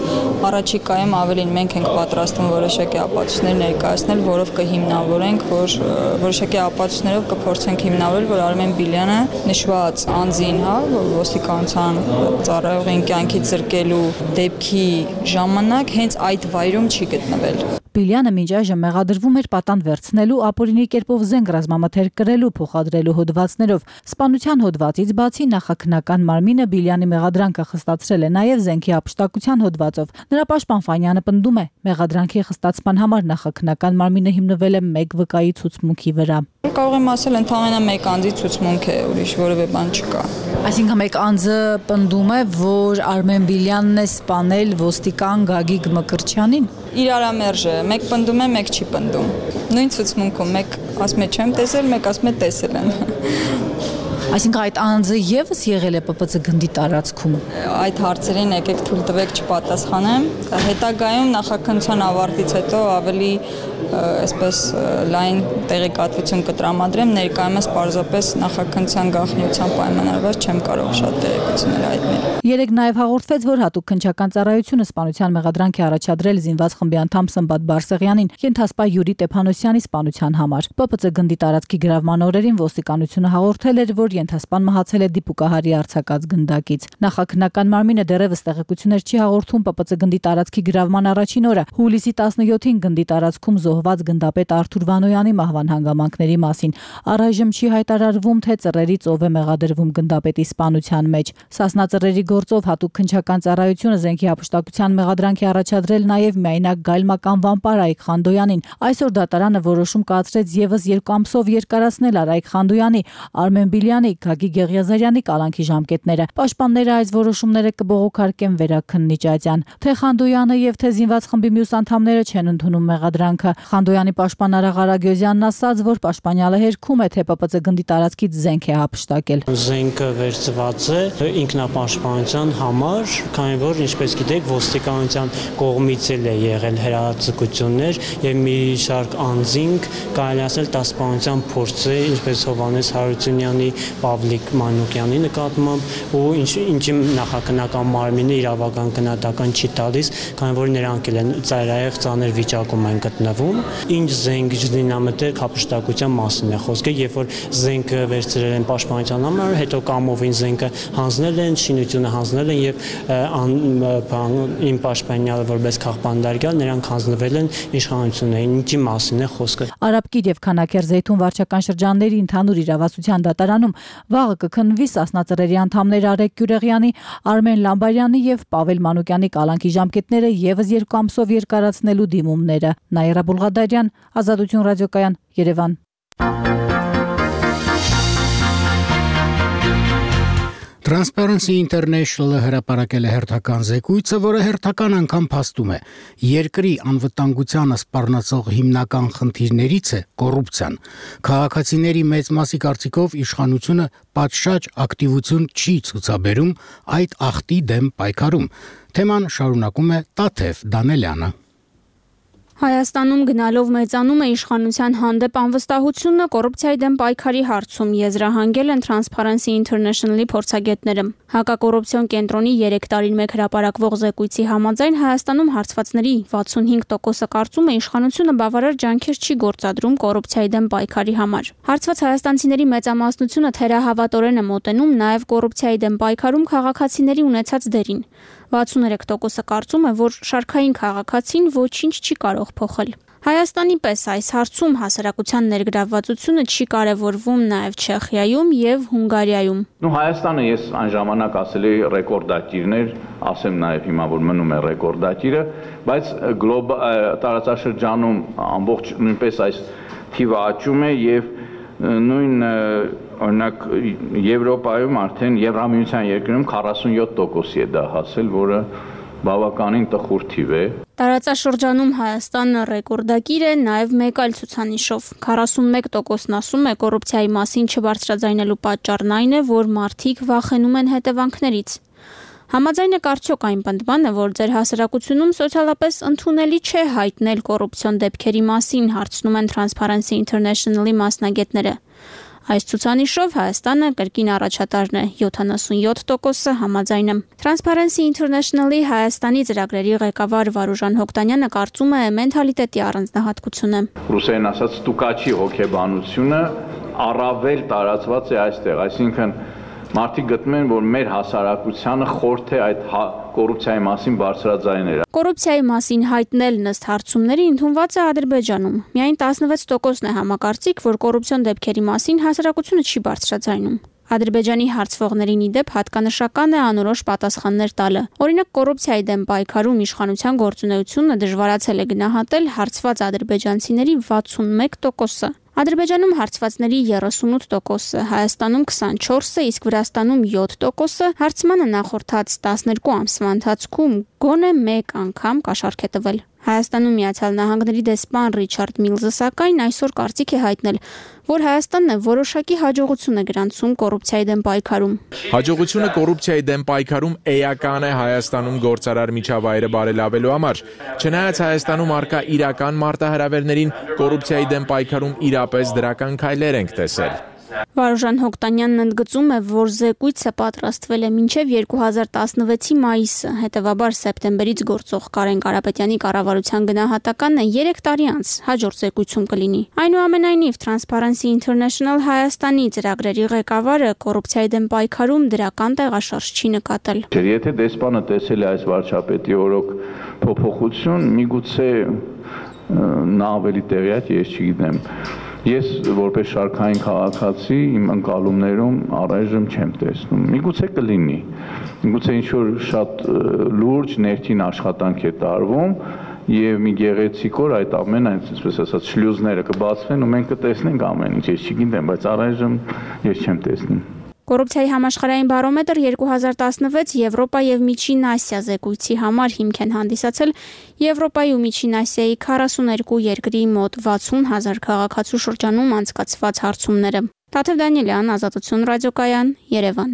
S: առաջիկայում ավելին մենք ենք պատրաստում որոշակի ապացույցներ ներկայացնել, որով կհիմնավորենք, որ որոշակի ապացույցներով կփորձենք հիմնավորել, որ Արմեն Բիլյանը նշված անձին, հա, ոստիկանության ծառայողին կյանքից զրկելու դեպքի ժամանակ հենց այդ վայրում չի գտնվել։
R: Բիլյանը մինչ այժմ մեղադրվում էր պատանդ վերցնելու, ապօրինի կերպով զենք ռազմամթերք կրելու, փոխադրելու հոդվածներով։ Սպանության հոդվածից բացի նախաքննական մարմինը Բիլյանի մեղադրանքը խստացրել է նաև զենքի ապշտակության հոդվածով։ Նրա պաշտպան Ֆանյանը պնդում է, մեղադրանքի խստացման համար նախաքննական մարմինը հիմնվել է մեկ վկայի ցուցմունքի վրա։
S: Կարող եմ ասել, ընդհանրապես մեկ անձի ցուցմունք է, ուրիշ որևէ բան չկա։
R: Այսինքն մեկ անձը պնդում է, որ Արմեն Բիլյանն է սպանել ոստիկան Գագիկ Մկրտչյանին։
S: Իրարամերժ է, մեկ պնդում է, մեկ չի պնդում։ Նույն ցուցմունքում մեկ ասում է չեմ տեսել, մեկ ասում է տեսել եմ։
R: Այսինքն այդ անձը եւս եղել է Պ Պ Ց գնդի տարածքում։
S: Այդ հարցերին եկեք թույլ տվեք չպատասխանեմ։ Հետագայում նախաքննության ավարտից հետո ավելի այսպես լայն տեղեկատվություն կտրամադրեմ, ներկայումս պարզապես նախաքննության գաղտնիության պայմանավորված չեմ կարող շատ տեղեկություններ հայտնել։
R: Երեք նաև հաղորդվեց, որ հատուկ քննչական ծառայությունը սպանության մեղադրանք է առաջադրել զինված խմբի անդամ Սմբատ Բարսեղյանին ենթասպա Յուրի Տեփանոսյանի սպանության համար։ Պ Պ Ց գնդի տարածքի գրավման օրերին ոստիկանությունը հաղորդել էր, որ ենթասպան մահացել է դիպուկահարի արձակած գնդակից։ Նախաքննական մարմինը դեռևս տեղեկություններ չի հաղորդում Պ Պ Ց գնդի տարածքի գրավման առաջին օրը։ Հուլիսի տասնյոթին գնդի տարածքում զոհված գնդապետ Արթուր Վանոյանի մահվան հանգամանքների մասին։ Առայժմ չի հայտարարվում, թե ծռերից ով է մեղադրվում գնդապետի սպանության մեջ։ Սասնա ծռերի գործով հատուկ քննչական ծառայությունը զենքի ապշտակության մեղադրանք է առաջադրել նաև միայնակ գայլմական վամպար Արայիկ Խանդոյանին։ Այսօր դատարանը որոշում կայացրեց եւս երկու ամսով երկարացնել Արայիկ Խանդոյանի, Արմեն Բիլյանի, Գագիկ Եղիազարյանի կալանքի ժամկետները։ Պաշտպանները այս որոշումները կբողոքարկեն վերաքննիչ Ատյան։ Թե Խանդոյանը եւ թե զինված խմբի մյուս անդամները չեն ընդունում մեղադրանքը։ Խանդոյանի պաշտպան Արաղ Արագյոզյանն ասաց, որ պաշտպանյալը հերքում է, թե Պ Պ Ց գնդի տարածքից զենք է ապշտակել։
T: Զենքը վերցված է ինքնապաշտպանության համար, քանի որ ինչպես գիտեք, ոստիկանության կողմից էլ է եղել հրաձգություններ եւ մի շարք անձինք կարելի ասել տասպանության փորձ է, ինչպես Հովհաննես Հարությունյանի, Պավլիկ Մանուկյանի նկատմամբ ու ինչի նախաքննական մարմինը իրավական գնահատական չի տալիս, քանի որ նրանք էլ են ծայրահեղ ծանր վիճակում են գտնվում։ Ինչ զենք զինամթերք ապշտակության մասին է խոսքը, երբ որ զենքը վերցրել են պաշտպանության համար, հետո կամովին զենքը հանձնել են, շինությունը հանձնել են եւ իմ պաշտպանյալը որպես քաղբանդարգյալ նրանք հանձնվել են իշխանություններին, ինչի մասին է խոսքը։
R: Արաբկիր եւ Քանաքեռ Զեյթուն վարչական շրջանների ընդհանուր իրավասության դատարանում վաղը կքննվի Սասնա ծռերի անդամներ Արեգ Գյուրեղյանի, Արմեն Լամբարյանի եւ Պավել Մանուկյանի կալանքի ժամկետները եւս երկու ամսով երկարացնելու դիմումները։ Նաիրա Բուլղադարյան, Ազատություն ռադիոկայան, Երևան։
A: Transparency International-ը հրապարակել է հերթական զեկույցը, որը հերթական անգամ փաստում է. երկրի անվտանգությանը սպառնացող հիմնական խնդիրներից է կոռուպցիան։ Քաղաքացիների մեծ մասի կարծիքով իշխանությունը պատշաճ ակտիվություն չի ցուցաբերում այդ ախտի դեմ պայքարում։ Թեման շարունակում է Տաթև Դանելյանը։
U: Հայաստանում գնալով մեծանում է իշխանության հանդեպ անվստահությունը կոռուպցիայի դեմ պայքարի հարցում եզրահանգել են Transparency International-ի փորձագետները։ Հակակոռուպցիոն կենտրոնի երեք տարին մեկ հրապարակվող զեկույցի համաձայն Հայաստանում հարցվածների վաթսունհինգ տոկոսը կարծում է իշխանությունը բավարար ջանքեր չի գործադրում կոռուպցիայի դեմ պայքարի համար։ Հարցված հայաստանցիների մեծամասնությունը թերահավատորեն է մոտենում նաև կոռուպցիայի դեմ պայքարում քաղաքացիների ունեցած դերին։ վաթսուներեք տոկոսը կարծում է, որ շարքային քաղաքացին ոչինչ չի կարող փոխել։ Հայաստանի պես այս հարցում հասարակության ներգրավվածությունը չի կարևորվում նաև Չեխիայում եւ Հունգարիայում։
N: Նու Հայաստանը ես այն ժամանակ ասել էի ռեկորդակիրներ, ասեմ նաև հիմա որ մնում է ռեկորդակիրը, բայց գլոբալ տարածաշրջանում ամբողջ նույնպես այս թիվը աճում է եւ նույն օրինակ Եվրոպայում արդեն Եվրամիության երկրներում քառասունյոթ տոկոսի է դա հասել, որը բավականին տխուր թիվ է։
U: Տարածաշրջանում Հայաստանը ռեկորդակիր է նաև մեկ այլ ցուցանիշով։ քառասունմեկ տոկոսն ասում է կոռուպցիայի մասին չբարձրաձայնելու պատճառն այն է, որ մարդիկ վախենում են հետևանքներից։ Համաձայն եք արդյոք այն պնդմանը, որ ձեր հասարակությունում սոցիալապես ընդունելի չէ հայտնել կոռուպցիոն դեպքերի մասին, հարցնում են Transparency International-ի մասնագետները։ Այս ցուցանիշով Հայաստանը կրկին առաջատարն է, յոթանասունյոթ տոկոսը համաձայն է։ Transparency International-ի Հայաստանի ծրագրերի ղեկավար Վարուժան Հոկտանյանը կարծում է մենթալիտետի առանձնահատկությունը։
N: Ռուսերեն ասած ստուկաչի հոգեբանությունը առավել տարածված է այստեղ, այսինքն մարդիկ գտնում են, որ մեր հասարակությանը խորթ է այդ կոռուպցիայի մասին բարձրաձայները։
U: Կոռուպցիայի մասին հայտնել ըստ հարցումների ընդունված է Ադրբեջանում։ Միայն տասնվեց տոկոսն է համակարծիք, որ կոռուպցիոն դեպքերի մասին հասարակությունը չի բարձրաձայնում։ Ադրբեջանի հարցվողներին ի դեպ հատկանշական է անորոշ պատասխաններ տալը։ Օրինակ կոռուպցիայի դեմ պայքարում իշխանության գործունեությունը դժվարացել է գնահատել հարցված ադրբեջանցիների վաթսունմեկ տոկոսը։ Ադրբեջանում հարցվածների երեսունութ տոկոսը, Հայաստանում քսանչորսը, իսկ Վրաստանում յոթ տոկոսը հարցմանը նախորդած տասներկու ամսվա ընթացքում գոնե մեկ անգամ կաշառք է տվել։ Հայաստանում Միացյալ Նահանգների դեսպան Ռիչարդ Միլզը սակայն այսօր կարծիք է հայտնել, որ Հայաստանն է որոշակի հաջողություն է գրանցում կոռուպցիայի դեմ պայքարում։
V: Հաջողությունը կոռուպցիայի դեմ պայքարում էական է Հայաստանում գործարար միջավայրը բարելավելու համար։ Չնայած Հայաստանում արկա իրական մարտահրավերներին, կոռուպցիայի դեմ պայքարում իրապես դրական քայլեր ենք տեսել։
U: Վարուժան Հոկտանյանն ընդգծում է, որ զեկույցը պատրաստվել է մինչև երկու հազար տասնվեցի մայիսը, հետևաբար սեպտեմբերից գործող Կարեն Կարապետյանի կառավարության գնահատականն է երեք տարի անց հաջորդ զեկույցում կլինի։ Այնուամենայնիվ Transparency International Հայաստանի ծրագրերի ղեկավարը կոռուպցիայի դեմ պայքարում դրական տեղաշարժ չի նկատել։
N: Եթե դեսպանը տեսել է այս վարչապետի օրոք փոփոխություն, միգուցե նա ավելի տեղյակ, ես չգիտեմ։ Ես որպես շարքային քաղաքացի իմ ընկալումներում առայժմ չեմ տեսնում։ Միգուցե կլինի։ Միգուցե ինչ-որ շատ լուրջ ներքին աշխատանք է տարվում եւ մի գեղեցիկ օր այդ ամենը, այսպես ասած, շլյուզները կբացվեն ու մենք կտեսնենք ամեն ինչ, ես չգիտեմ, բայց առայժմ ես չեմ տեսնում։
U: Կոռուպցիայի համաշխարհային բարոմետր երկու հազար տասնվեց Եվրոպա եւ Միջին Ասիա զեկույցի համար հիմք են հանդիսացել Եվրոպայի ու Միջին Ասիայի քառասուներկու երկրի մոտ վաթսուն հազար քաղաքացու շրջանում անցկացված հարցումները։ Տաթև Դանիելյան, Ազատություն ռադիոկայան, Երևան։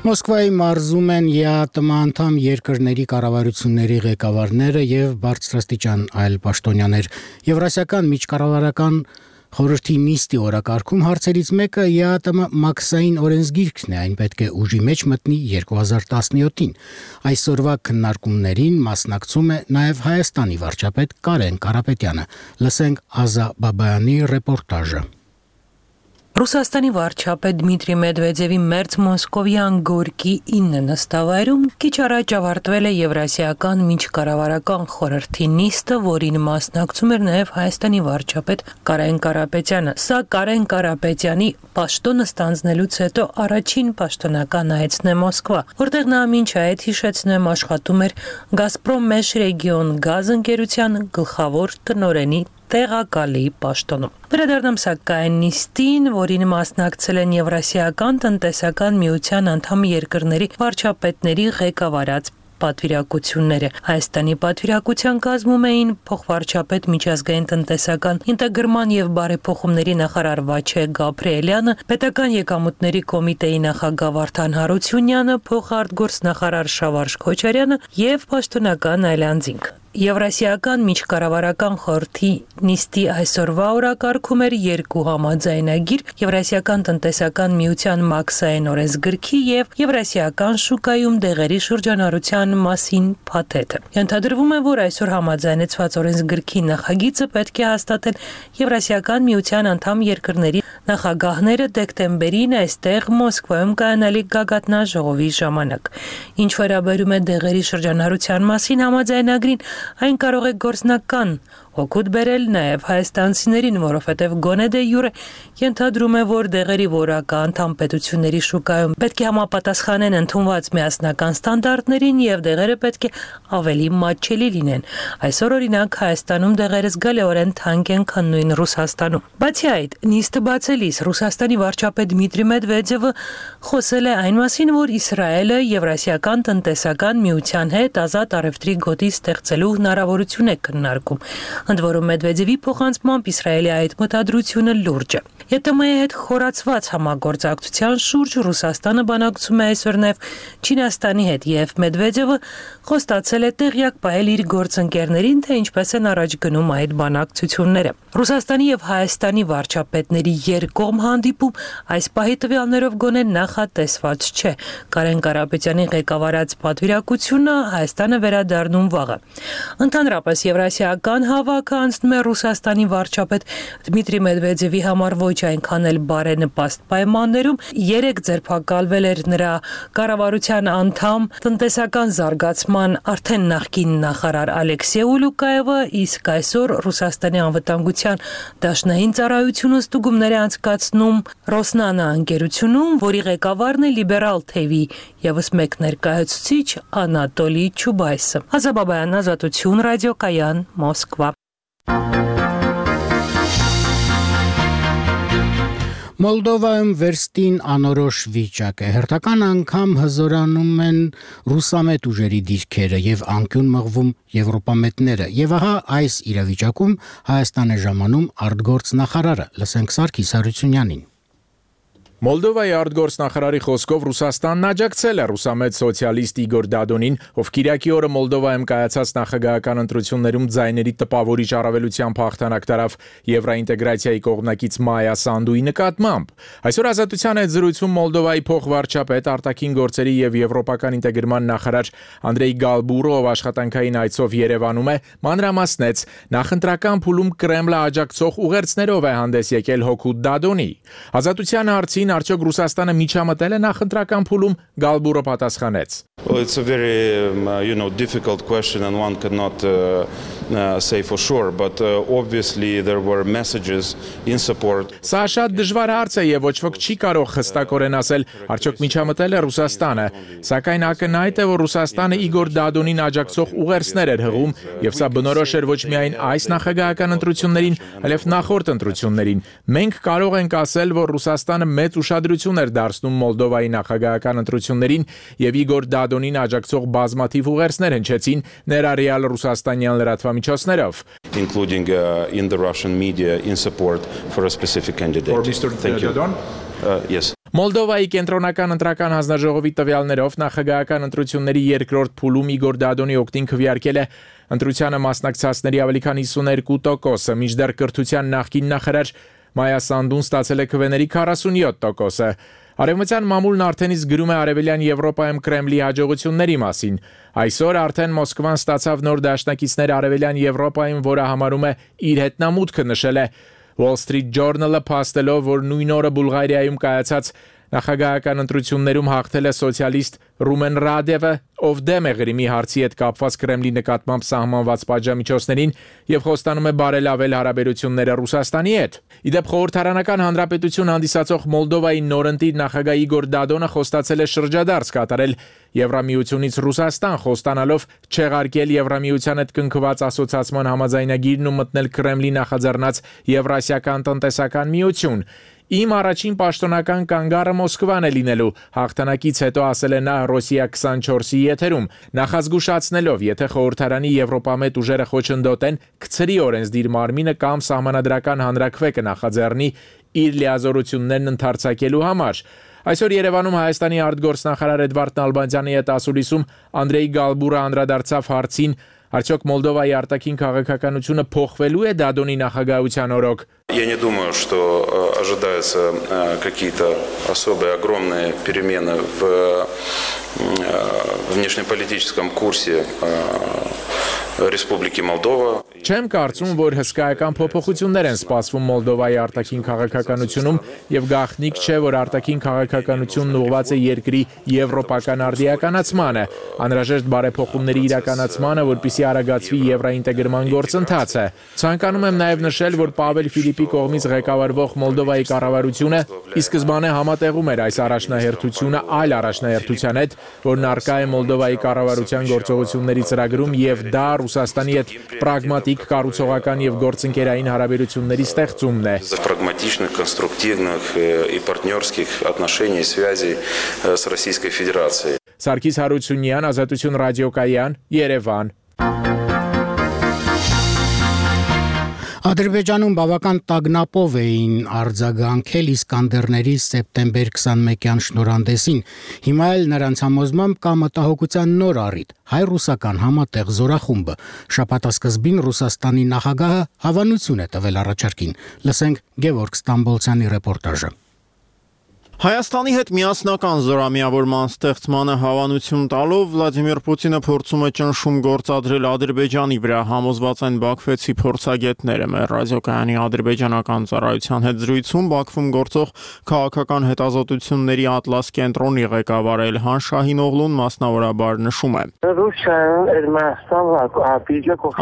A: Մոսկվայի մարզում են ԵԱՏՄ անդամ երկրների կառավարությունների ղեկավարները եւ բարձրաստիճան այլ պաշտոնյաներ։ Եվրասիական միջկառավարական խորհրդի նիստի օրակարգում հարցերից մեկը ԵԱՏՄ մաքսային օրենսգիրքն է, այն պետք է ուժի մեջ մտնի երկու հազար տասնյոթին։ Այսօրվա քննարկումներին մասնակցում է նաև Հայաստանի վարչապետ Կարեն Կարապետյանը։ Լսենք Ազա Բաբայանի ռեպորտաժը։
W: Ռուսաստանի վարչապետ Դմիտրի Մեդվեդևի մերձ մոսկովյան Գորկի ինը նստավայրում քիչ առաջ ավարտվել է Եվրասիական միջկառավարական խորհրդի նիստը, որին մասնակցում էր նաև Հայաստանի վարչապետ Կարեն Կարապետյանը։ Սա Կարեն Կարապետյանի պաշտոնը ստանձնելուց հետո առաջին պաշտոնական այցն է Մոսկվա, որտեղ նա մինչ այդ հիշեցնեմ աշխատում էր Գազպրոմ Մեշրեգիոն գազ ընկերության գլխավոր տնօրենի տեղակալի պաշտոնում։ Վերադառնամ սակայն նիստին, որին մասնակցել են Եվրասիական տնտեսական միության անդամ երկրների վարչապետների ղեկավարած պատվիրակությունները։ Հայաստանի պատվիրակության կազմում էին փոխվարչապետ միջազգային տնտեսական ինտեգրման եւ բարեփոխումների նախարար Վաչե Գաբրիելյանը, պետական եկամուտների կոմիտեի նախագահ Վարդան Հարությունյանը, փոխարտգործնախարար Շավարժ Քոչարյանը եւ պաշտոնական այլանձինք։ Եվրասիական միջկառավարական խորհրդի նիստի այսօրվա օրակարգում էր երկու համաձայնագիր Եվրասիական տնտեսական միության մաքսային օրենսգրքի եւ Եվրասիական շուկայում դեղերի շրջանառության մասին փաթեթը։ Ենթադրվում է, որ այսօր համաձայնեցված օրենսգրքի նախագիծը պետք է հաստատեն Եվրասիական միության անդամ երկրների նախագահները դեկտեմբերին այստեղ Մոսկվայում կայանալիք գագաթնաժողովի ժամանակ։ Ինչ վերաբերում է դեղերի շրջանառության մասին համաձայնագրին, այն կարող է գործնական օգուտ բերել նաև հայաստանցիներին, որովհետև գոնե դե յուրե ենթադրում է, որ դեղերի որակը անդամ պետությունների շուկայում պետք է համապատասխանեն ընդունված միասնական ստանդարտներին եւ դեղերը պետք է ավելի մատչելի լինեն։ Այսօր օրինակ Հայաստանում դեղերը զգալիորեն թանկ են, քան նույն Ռուսաստանում։ Բացի այդ, նիստը բացելիս Ռուսաստանի վարչապետ Դմիտրի Մեդվեդևը խոսել է այն մասին, որ Իսրայելը Եվրասիական տնտեսական միության հետ ազատ առևտրի գոտի ստեղծելու հնարավորություն է քննարկում։ Ընդ որում Մեդվեդևի փոխանցմամբ Իսրայելի այդ մտադրությունը լուրջ է։ ԵՏՄ-ի հետ խորացված համագործակցության շուրջ Ռուսաստանը բանակցում է այսօր նաև Չինաստանի հետ եւ Մեդվեդևը խոստացել է տեղյակ պահել իր գործընկերներին, թե ինչպես են առաջ գնում այդ բանակցությունները։ Ռուսաստանի եւ Հայաստանի վարչապետների երկկողմ հանդիպում այս պահի տվյալներով գոնե նախատեսված չէ։ Կարեն Կարապետյանի ղեկավարած պատվիրակությունը Հայաստանը վերադառնում վաղը։ Ընդհանրապես Եվրասիական հավաքը անցնում է Ռուսաստանի վարչապետ Դմիտրի Մեդվեդևի համար ոչ այնքան էլ բարենպաստ պայմաններում։ Երեք ձերբակալվել էր նրա կառավարության անդամ տնտեսական զարգացման արդեն նախկին նախարար Ալեքսեյ Ուլուկաևը, իսկ այսօր Ռուսաստանի անվտանգության դաշնային ծառայությունը ստուգումներ է անցկացնում Ռոսնանա ընկերությունում, որի ղեկավարն է լիբերալ թևի եւս մեկ ներկայացուցիչ Անատոլի Չուբայսը։ Ազաբաբայան, Ազատություն, ռադիոկայան, Մոսկվա։
A: Մոլդովայում վերստին անորոշ վիճակ է։ Հերթական անգամ հզորանում են ռուսամետ ուժերի դիրքերը եւ անկյուն մղվում եվրոպամետները։ Եվ ահա այս իրավիճակում Հայաստան է ժամանում արտգործնախարարը։ Լսենք Սարգիս Հարությունյանին։
V: Մոլդովայի արտգործնախարարի խոսքով Ռուսաստանն աջակցել է ռուսամետ սոցիալիստ Իգոր Դադոնին, ով Կիրակի օրը Մոլդովայում կայացած նախագահական ընտրություններում ձայների տպավորիչ առավելությամբ հաղթանակ տարավ եվրոինտեգրացիայի կողմնակից Մայա Սանդուի նկատմամբ։ Այսօր Ազատության հետ զրույցում Մոլդովայի փոխվարչապետ, արտաքին գործերի եւ եվրոպական ինտեգրման նախարար Անդրեյ Գալբուրը, ով աշխատանքային այցով Երևանում է, մանրամասնեց նախընտրական փուլում Կրեմլը աջակցող ուղերձներով է հանդես եկել հօգուտ Դադոնի։ Ազատության հարցին Արդյոք Ռուսաստանը միջամտել է նախընտրական փուլում, Գալբուրը պատասխանեց.
B: Well, it's a very um, uh, you know difficult question and one cannot uh, uh, say for sure, but uh, obviously there were messages in support.
V: Սա շատ դժվար հարց է եւ ոչ ոք չի կարող հստակորեն ասել արդյոք միջամտել է Ռուսաստանը, սակայն ակնհայտ է, որ Ռուսաստանը Իգոր Դադոնին աջակցող ուղերձներ էր հղում եւ սա բնորոշ էր ոչ միայն այս նախագահական ընտրություններին, այլև նախորդ ընտրություններին։ Մենք կարող ենք ասել, որ Ռուսաստանը մեծ ուշադրություն էր դարձնում Մոլդովայի նախագահական ընտրություններին եւ Իգոր Դադոնին աջակցող բազմաթիվ ուղերձներ հնչեցին ներառյալ ռուսաստանյան լրատվամիջոցներով,
B: including uh, in the Russian media in support for a specific candidate.
V: For Mister
B: Thank you. Uh, yes.
V: Մոլդովայի կենտրոնական ընտրական հանձնաժողովի տվյալներով նախագահական ընտրությունների երկրորդ փուլում Իգոր Դադոնի օգտին քվեարկել է ընտրությանը մասնակցածների ավելի քան հիսուներկու տոկոսը, մինչդեռ կրթության նախկին նախարար Մայա Սանդուն ստացել է քվեների քառասունյոթ տոկոսը։ Արևմտյան մամուլն արդեն իսկ գրում է Արևելյան Եվրոպայում Կրեմլի հաջողությունների մասին։ Այսօր արդեն Մոսկվան ստացավ նոր դաշնակիցներ Արևելյան Եվրոպայում, որը համարում է իր հետնամուտքը նշել է Wall Street Journal-ը, փաստելով, որ նույն օրը Բուլղարիայում կայացած Նախագահական ընտրություններում հաղթել է սոցիալիստ Ռումեն Ռադևը, ով դեմ է Ղրիմի հարցի հետ կապված Կրեմլի նկատմամբ սահմանված պատժամիջոցներին եւ խոստանում է բարելավել հարաբերությունները Ռուսաստանի հետ։ Իդեպ խորհրդարանական հանրապետություն հանդիսացող Մոլդովայի նորընտիր նախագահ Իգոր Դադոնը խոստացել է շրջադարձ կատարել Եվրամիությունից Ռուսաստան, խոստանալով չեղարկել Եվրամիության հետ կնքված ասոցիացիան համաձայնագիրն ու մտնել Կրեմլի նախաձեռնած Եվրասիական տնտեսական միություն։ Իմ առաջին պաշտոնական կանգառը Մոսկվան է լինելու, հաղթանակից հետո ասել է նա Ռոսիա քսանչորսի եթերում, նախազգուշացնելով, եթե խորհրդարանի Եվրոպամետ ուժերը խոչընդոտեն, կցրի օրենսդիր մարմինը կամ սահմանադրական հանրաքվե կնախաձեռնի իր լիազորություններն ընդարձակելու համար։ Այսօր Երևանում Հայաստանի արտգործնախարար Էդվարդ Նալբանդյանի հետ ասուլիսում Անդրեյ Գալբուրը անդրադարձավ հարցին, արդյոք Մոլդովայի արտաքին քաղաքականությունը փոխվելու է Դադոնի նախագահության օրոք։
B: Я не думаю, что ожидаются какие-то особые огромные перемены в внешнеполитическом курсе Республики Молдова.
V: Չեմ կարծում, որ հսկայական փոփոխություններ են սպասվում Մոլդովայի արտաքին քաղաքականությունում եւ գաղտնիք չէ, որ արտաքին քաղաքականությունն ուղղված է երկրի եվրոպական արդիականացմանը, անհրաժեշտ բարեփոխումների իրականացմանը, որպեսզի արագացվի եվրոինտեգրման գործընթացը։ Ցանկանում եմ նաեւ նշել, որ Պավել Ֆիլիպի կողմից ղեկավարվող Մոլդովայի կառավարությունը ի սկզբանե համատեղում էր այս առաջնահերթությունը այլ առաջնահերթության հետ, որն առկա է Մոլդովայի կառավարության գործողությունների ծրագրում եւ դա Ռուսաստանի հետ պրագմատիկ կառուցողական եւ գործընկերային հարաբերությունների ստեղծումն է։
B: Прагматичных, конструктивных и партнерских отношений, связей с Российской Федерацией.
V: Սարգիս Հարությունյան, Ազատություն ռադիոկայան, Երևան։
A: Ադրբեջանում բավական տագնապով էին արձագանքել իսկանդերների սեպտեմբեր քսանմեկյան շնորհանդեսին։ Հիմա էլ նրանց համոզմամբ կա մտահոգության նոր առիթ՝ հայ-ռուսական համատեղ զորախումբը։ Շաբաթասկզբին Ռուսաստանի նախագահը հավանություն է տվել առաջարկին։ Լսենք Գևորգ Ստամբոլցյանի ռեպորտաժը։
E: Հայաստանի հետ միասնական զորամիավորման ստեղծմանը հավանություն տալով Վլադիմիր Պուտինը փորձում է ճնշում գործադրել Ադրբեջանի վրա, համոզված են բաքվեցի փորձագետները։ Մեր ռադիոկայանի ադրբեջանական ծառայության հետ զրույցում Բաքվում գործող քաղաքական հետազոտությունների Ատլաս կենտրոնի ղեկավար Էլհան Շահինօղլուն մասնավորաբար նշում է.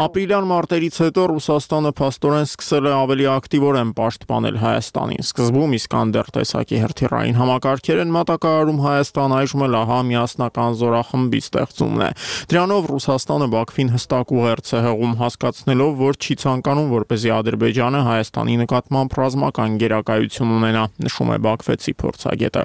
E: Ապրիլյան մարտերից հետո Ռուսաստանը փաստորեն սկսել է ավելի ակտիվորեն պաշտպանել Հայաստանին։ Սկզբում Իսկանդեր տեսակի հրթիռային համակարգեր են մատակարարում Հայաստան, այժմ էլ ահա միասնական զորախմբի ստեղծումն է։ Դրանով Ռուսաստանը Բաքվին հստակ ուղերձ է հղում, հասկացնելով, որ չի ցանկանում, որպեսզի Ադրբեջանը Հայաստանի նկատմամբ ռազմական գերակայություն ունենա, նշում է բաքվեցի փորձագետը։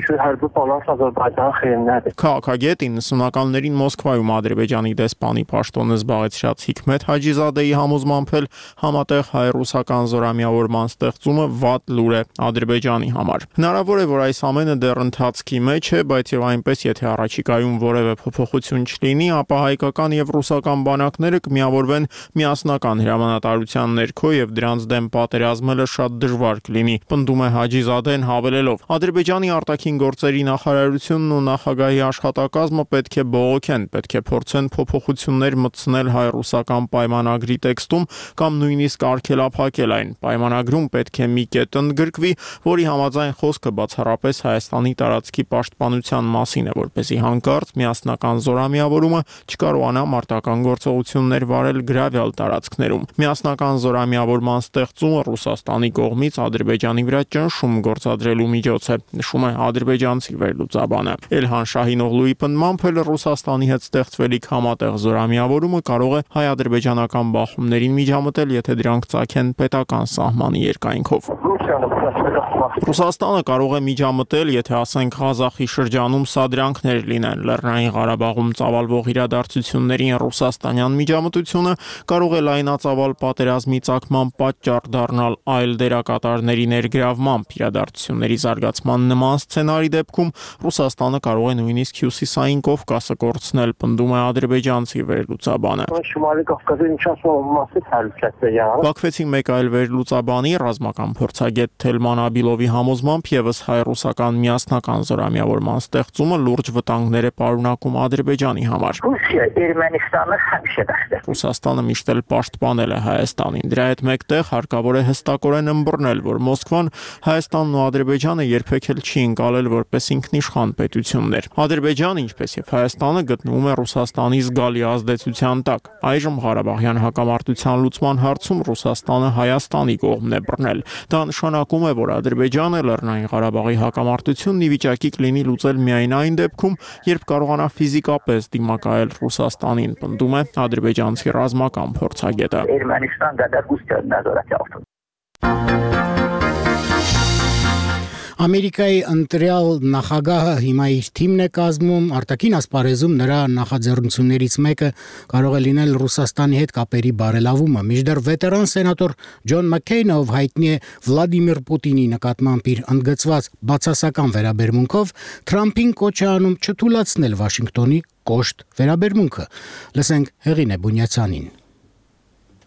E: Քաղաքագետ իննսունականներին Մոսկվայում Ադրբեջանի դեսպանի պաշտոնը զբաղեցրած Հիկմետ Հաջիզադեի համոզմամբ էլ համատեղ հայ-ռուսական զորամիավորման ստեղծումը վատ լուր է Ադրբեջանի համար։ Հնարավոր է, որ այս ամենը դեռ ընթացքի մեջ է, բայց եւ այնպես, եթե առաջիկայում որևէ փոփոխություն չլինի, ապա հայկական եւ ռուսական բանակները կմիավորվեն միասնական հրամանատարության ներքո եւ դրանց դեմ պատերազմելը շատ դժվար կլինի, պնդում է Հաջիզադեն հավելելով. Ադրբեջանի արտաքին գործերի նախարարությունն ու նախագահի աշխատակազմը պետք է բողոքեն, պետք է փորձեն փոփոխություններ մտցնել հայ-ռուսական պայմանագրի տեքստում կամ նույնիսկ արգելափակել այն։ Պայմանագրում պետք է մի կետ ընդգրկվի, որի համաձայն խոսքը բացառապես Հայաստանի տարածքի պաշտպանության մասին է, որպեսզի հանկարծ միասնական զորամիավորումը չկարողանա մարտական գործողություններ վարել գրավյալ տարածքներում։ Միասնական զորամիավորման ստեղծումը Ռուսաստանի կողմից Ադրբեջանի վրա ճնշում գործադրելու միջոց է, նշում է ադրբեջանցի վերլուծաբանը։ Էլհան Շահինօղլուի պնդմամբ էլ Ռուսաստանի հետ ստեղծվելիք համատեղ զորամիավորումը կարող է հայ-ադրբեջանական բախումներին միջամտել, եթե դրանք ծագեն պետական սահմանի երկայնքով։ Ռուսաստանը կարող է միջամտել, եթե ասենք Ղազախի շրջանում սադրանքներ լինեն, Լեռնային Ղարաբաղում ծավալվող իրադարձություններին ռուսաստանյան միջամտությունը կարող է լայնածավալ պատերազմի ծագման պատճառ դառնալ այլ դերակատարների ներգրավմամբ։ Իրադարձությունների զարգացման նման սցենարի դեպքում Ռուսաստանը կարող է նույնիսկ Հյուսիսային Կովկասը կորցնել, պնդում է ադրբեջանցի վերլուծաբանը։ Բաքվեցի մեկ այլ վերլուծաբանի ռազմական փորձագետ Թելման Աբիլովի համոզմամբ եւս հայ-ռուսական ռուսական միասնական զորամիավորման ստեղծումը լուրջ վտանգներ է պարունակում Ադրբեջանի համար։ Ռուսաստանը միշտ էլ պաշտպանել է Հայաստանին։ Դրա հետ մեկտեղ հարկավոր է հստակորեն ըմբռնել, որ Մոսկվան Հայաստանն ու Ադրբեջանը երբեք էլ չի ընկալել որպես ինքնիշխան պետություններ։ Ադրբեջանը, ինչպես եւ Հայաստանը, գտնվում է Ռուսաստանի զգալի ազդեցության տակ։ Այժմ Ղարաբաղյան հակամարտության լուծման հարցում Ռուսաստանը Հայաստանի կողմն է բռնել։ Դա նշանակում է, որ Ադրբեջանը Լեռնային Ղարաբաղի հակամարտությունն ի վիճակի կլինի լուծել միայն այն դեպքում, երբ կարողանա ֆիզիկապես դիմակայել Ռուսաստանին, պնդում է ադրբեջանցի ռազմական փորձագետը։
A: Ամերիկայի ընտրյալ նախագահը հիմա իր թիմն է կազմում, արտաքին ասպարեզում նրա նախաձեռնություններից մեկը կարող է լինել Ռուսաստանի հետ կապերի բարելավումը։ Մինչդեռ վետերան սենատոր Ջոն Մաքքեյնը, ով հայտնի է Վլադիմիր Պուտինի նկատմամբ իր ընդգծված բացասական վերաբերմունքով, Թրամփին կոչ է անում չթույլատրել Վաշինգտոնի կոշտ վերաբերմունքը։ Լսենք Հեղինե Բունյացյանին։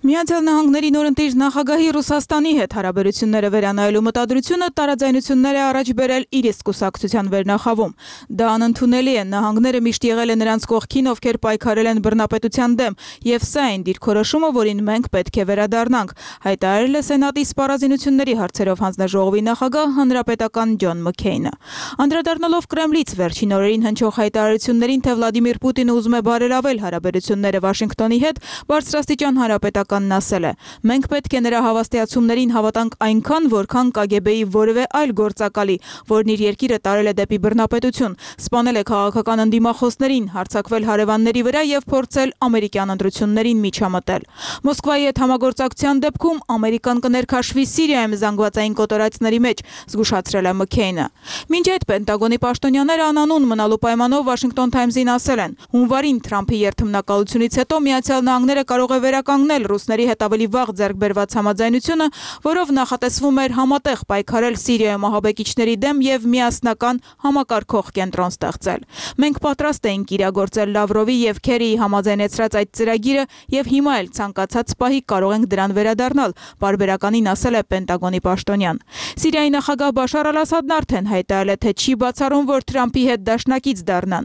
C: Միացյալ Նահանգների նորընտիր նախագահի Ռուսաստանի հետ հարաբերությունները վերանայելու մտադրությունը տարաձայնություններ է առաջ բերել իր իսկ կուսակցության վերնախավում։ Դա անընդունելի է, նահանգները միշտ եղել են նրանց կողքին, ովքեր պայքարել են բռնապետության դեմ, եւ սա այն դիրքորոշումը, որին մենք պետք է վերադառնանք, հայտարարել է Սենատի սպառազինությունների հարցերով հանձնաժողովի նախագահ հանրապետական Ջոն Մաքքեյնը։ Անդրադառնալով Կրեմլից վերջին օրերին հնչող հայտարարություններին, թե Վլադիմիր Պուտինը ուզում է բարելավել հարաբերությունները Վաշինգտոնի հետ, բարձրաստիճան հանրապետական ասել է. մենք պետք է նրա հավաստիացումներին հավատանք այնքան, որքան Կ Գ Բ-ի որևէ այլ գործակալի, որն իր երկիրը տարել է դեպի բռնապետություն, սպանել է քաղաքական ընդդիմախոսներին, հարձակվել հարևանների վրա եւ փորձել ամերիկյան ընտրություններին միջամտել։ Մոսկվայի հետ համագործակցության դեպքում Ամերիկան կներքաշվի Սիրիայում զանգվածային կոտորածների մեջ, զգուշացրել է Մաքքեյնը։ Մինչ այդ Պենտագոնի պաշտոնյաները անանուն մնալու պայմանով Washington Times-ին ասել են. հունվարին Թրամփի երթմնակալությունից հետո Միացյալ Նահանգները կարող է վերականգնել ռուսների հետ ավելի վաղ ձեռք բերված համաձայնությունը, որով նախատեսվում էր համատեղ պայքարել Սիրիայում ահաբեկիչների դեմ եւ միասնական համակարգող կենտրոն ստեղծել։ Մենք պատրաստ էինք իրագործել Լավրովի եւ Քերիի համաձայնեցրած այդ ծրագիրը եւ հիմա էլ ցանկացած պահի կարող ենք դրան վերադառնալ, պարբերականին ասել է Պենտագոնի պաշտոնյան։ Սիրիայի նախագահ Բաշար Ալ-Ասադն արդեն հայտարարել է, թե չի բացառում, որ Թրամփի հետ դաշնակից դառնան։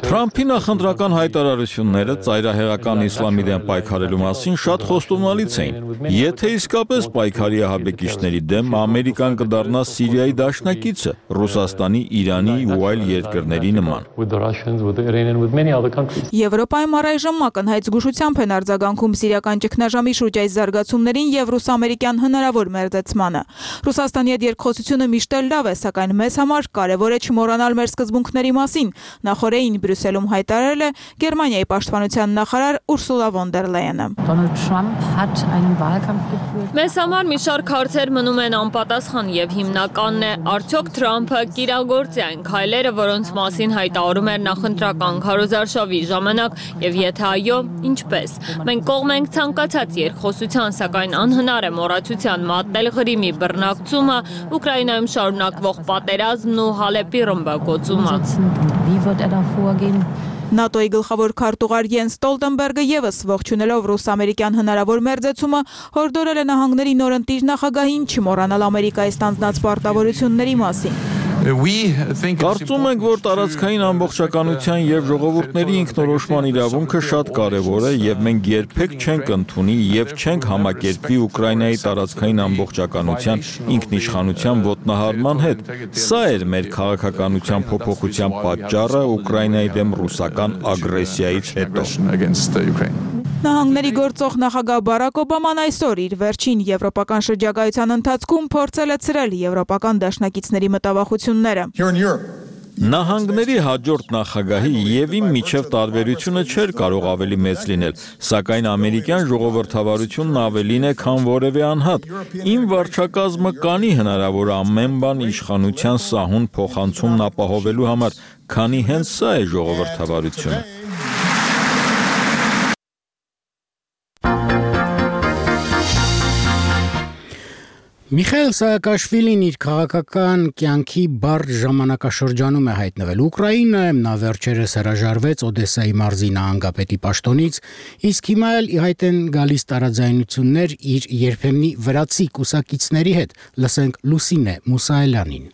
F: Թրամփի նախընտրական հայտարարությունները ծայրահեղական իսլամի դեմ պայքարելու մասին շատ խոստումնալից էին։ Եթե իսկապես պայքարի ահաբեկիչների դեմ Ամերիկան կդառնա Սիրիայի դաշնակիցը, Ռուսաստանի, Իրանի ու այլ երկրների նման։
C: Եվրոպայում առայժմ ակնհայտ զգուշությամբ են արձագանքում սիրիական ճգնաժամի շուրջ այս զարգացումներին եւ ռուս-ամերիկյան հնարավոր մերձեցմանը։ Ռուսաստանի հետ երկխոսությունը միշտ էլ լավ է, սակայն մեզ համար կարևոր է չմոռանալ մեր սկզբունքների մասին։ Նախորդին Բրյուսելում հայտարարել է Գերմանիայի պաշտպանության նախարար Ուրսուլա վոն դեր Լայենը։
G: Մեզ համար մի շարք հարցեր մնում են անպատասխան եւ հիմնականն է արդյոք Թրամփը կիրագործի այն քայլերը, որոնց մասին հայտարարում էր նախընտրական քարոզարշավի ժամանակ եւ եթե այո, ինչպես։ Մենք կողմ ենք ցանկացած երկխոսության, սակայն անհնար է մոռացության մատնել Ղրիմի բռնակցումը, Ուկրաինայում շարունակվող պատերազմն ու Հալեպի ռմբակոծումը։
C: ՆԱՏՕ-ի գլխավոր քարտուղար Յենս Ստոլտենբերգը եւս ողջունելով ռուս-ամերիկյան հնարավոր մերձեցումը հորդորել է նահանգների նորընտիր նախագահին չմոռանալ Ամերիկայի ստանձնած պարտավորությունների մասին։
F: Կարծում ենք, որ տարածքային ամբողջականության եւ ժողովուրդների ինքնորոշման իրավունքը շատ կարեւոր է եւ մենք երբեք չենք ընդունի եւ չենք համակերպվի Ուկրաինայի տարածքային ամբողջականության ինքնիշխանության ոտնահարման հետ։ Սա էր մեր քաղաքականության փոփոխության պատճառը Ուկրաինայի դեմ ռուսական ագրեսիայից հետո։
C: Նահանգների գործող նախագահ Բարակ Օբաման այսօր իր վերջին եվրոպական շրջագայության ընթացքում փորձել է ցրել եվրոպական դաշնակիցների մտավախությունները։
F: Նահանգների հաջորդ նախագահի եւ իմ միջև տարբերությունը չէր կարող ավելի մեծ լինել, սակայն ամերիկյան ժողովրդավարությունն ավելին է, քան որևէ անհատ։ Իմ վարչակազմը կանի հնարավոր ամեն բան իշխանության սահուն փոխանցումն ապահովելու համար, քանի հենց սա է ժողովրդավարությունը։
A: Միխայել Սահակաշվիլին իր քաղաքական կյանքի բարդ ժամանակաշրջանում է հայտնվել Ուկրաինայում, նա վերջերս հրաժարվեց Օդեսայի մարզի նահանգապետի պաշտոնից, իսկ հիմա էլ ի հայտ են գալիս տարաձայնություններ իր երբեմնի վրացի կուսակիցների հետ, լսենք Լուսինե Մուսայելյանին։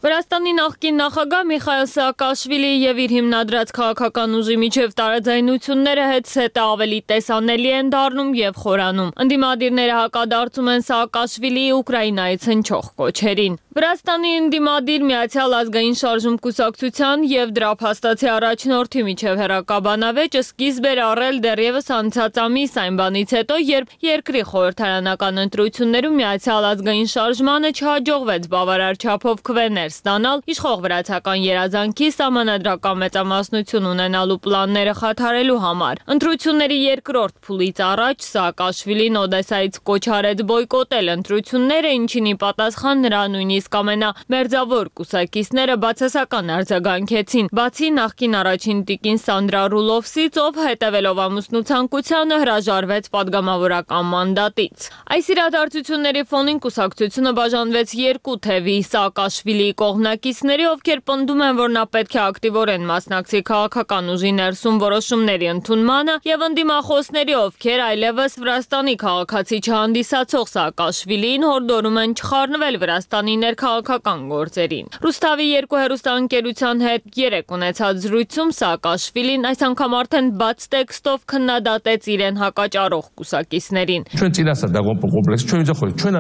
G: Վրաստանի նախկին նախագահ Միխայել Սաակաշվիլի եւ իր հիմնադրած քաղաքական ուժի միջև տարաձայնությունները հետսհետե ավելի տեսանելի են դառնում եւ խորանում։ Ընդդիմադիրները հակադարձում են Սաակաշվիլիի Ուկրաինայից հնչող կոչերին։ Վրաստանի ընդդիմադիր Միացյալ ազգային շարժում կուսակցության եւ դրա փաստացի առաջնորդի միջև հերակաբանավեճը սկիզբ էր առել դեռևս անցած ամիս այն բանից հետո, երբ երկրի խորհրդարանական ընտրություններում Միացյալ ազգային շարժմանը չհաջողվեց բավարար չափով քվեներ ստանալ իշխող վրացական երազանքի սահմանադրական մեծամասնություն ունենալու պլանները խաթարելու համար։ Ընտրությունների երկրորդ փուլից առաջ Սաակաշվիլին Օդեսայից կոչ արեց բոյկոտել ընտրությունները, ինչին ի պատասխան նրա նույնիսկ ամենամերձավոր կուսակիցները բացասական արձագանքեցին, բացի նախկին առաջին տիկին Սանդրա Ռուլովսից, ով հետևելով ամուսնու ցանկությանը հրաժարվեց պատգամավորական մանդատից։ Այս իրադարձությունների ֆոնին կուսակցությունը բաժանվեց երկու թևի՝ Սաակաշվիլիի կողմնակիցների, ովքեր պնդում են, որ նա պետք է ակտիվորեն մասնակցի քաղաքական ուժի ներսում որոշումների ընդունմանը, եւ ընդդիմախոսների, ովքեր այլևս Վրաստանի քաղաքացի չհանդիսացող Սաակաշվիլիին հորդորում են չխառնվել Վրաստանի քաղաքական գործերին։ Ռուսթավի երկու հեռուստաընկերության հետ երեկ ունեցած զրույցում Սաակաշվիլին այս անգամ արդեն բաց տեքստով քննադատեց իրեն հակաճառող կուսակիցներին։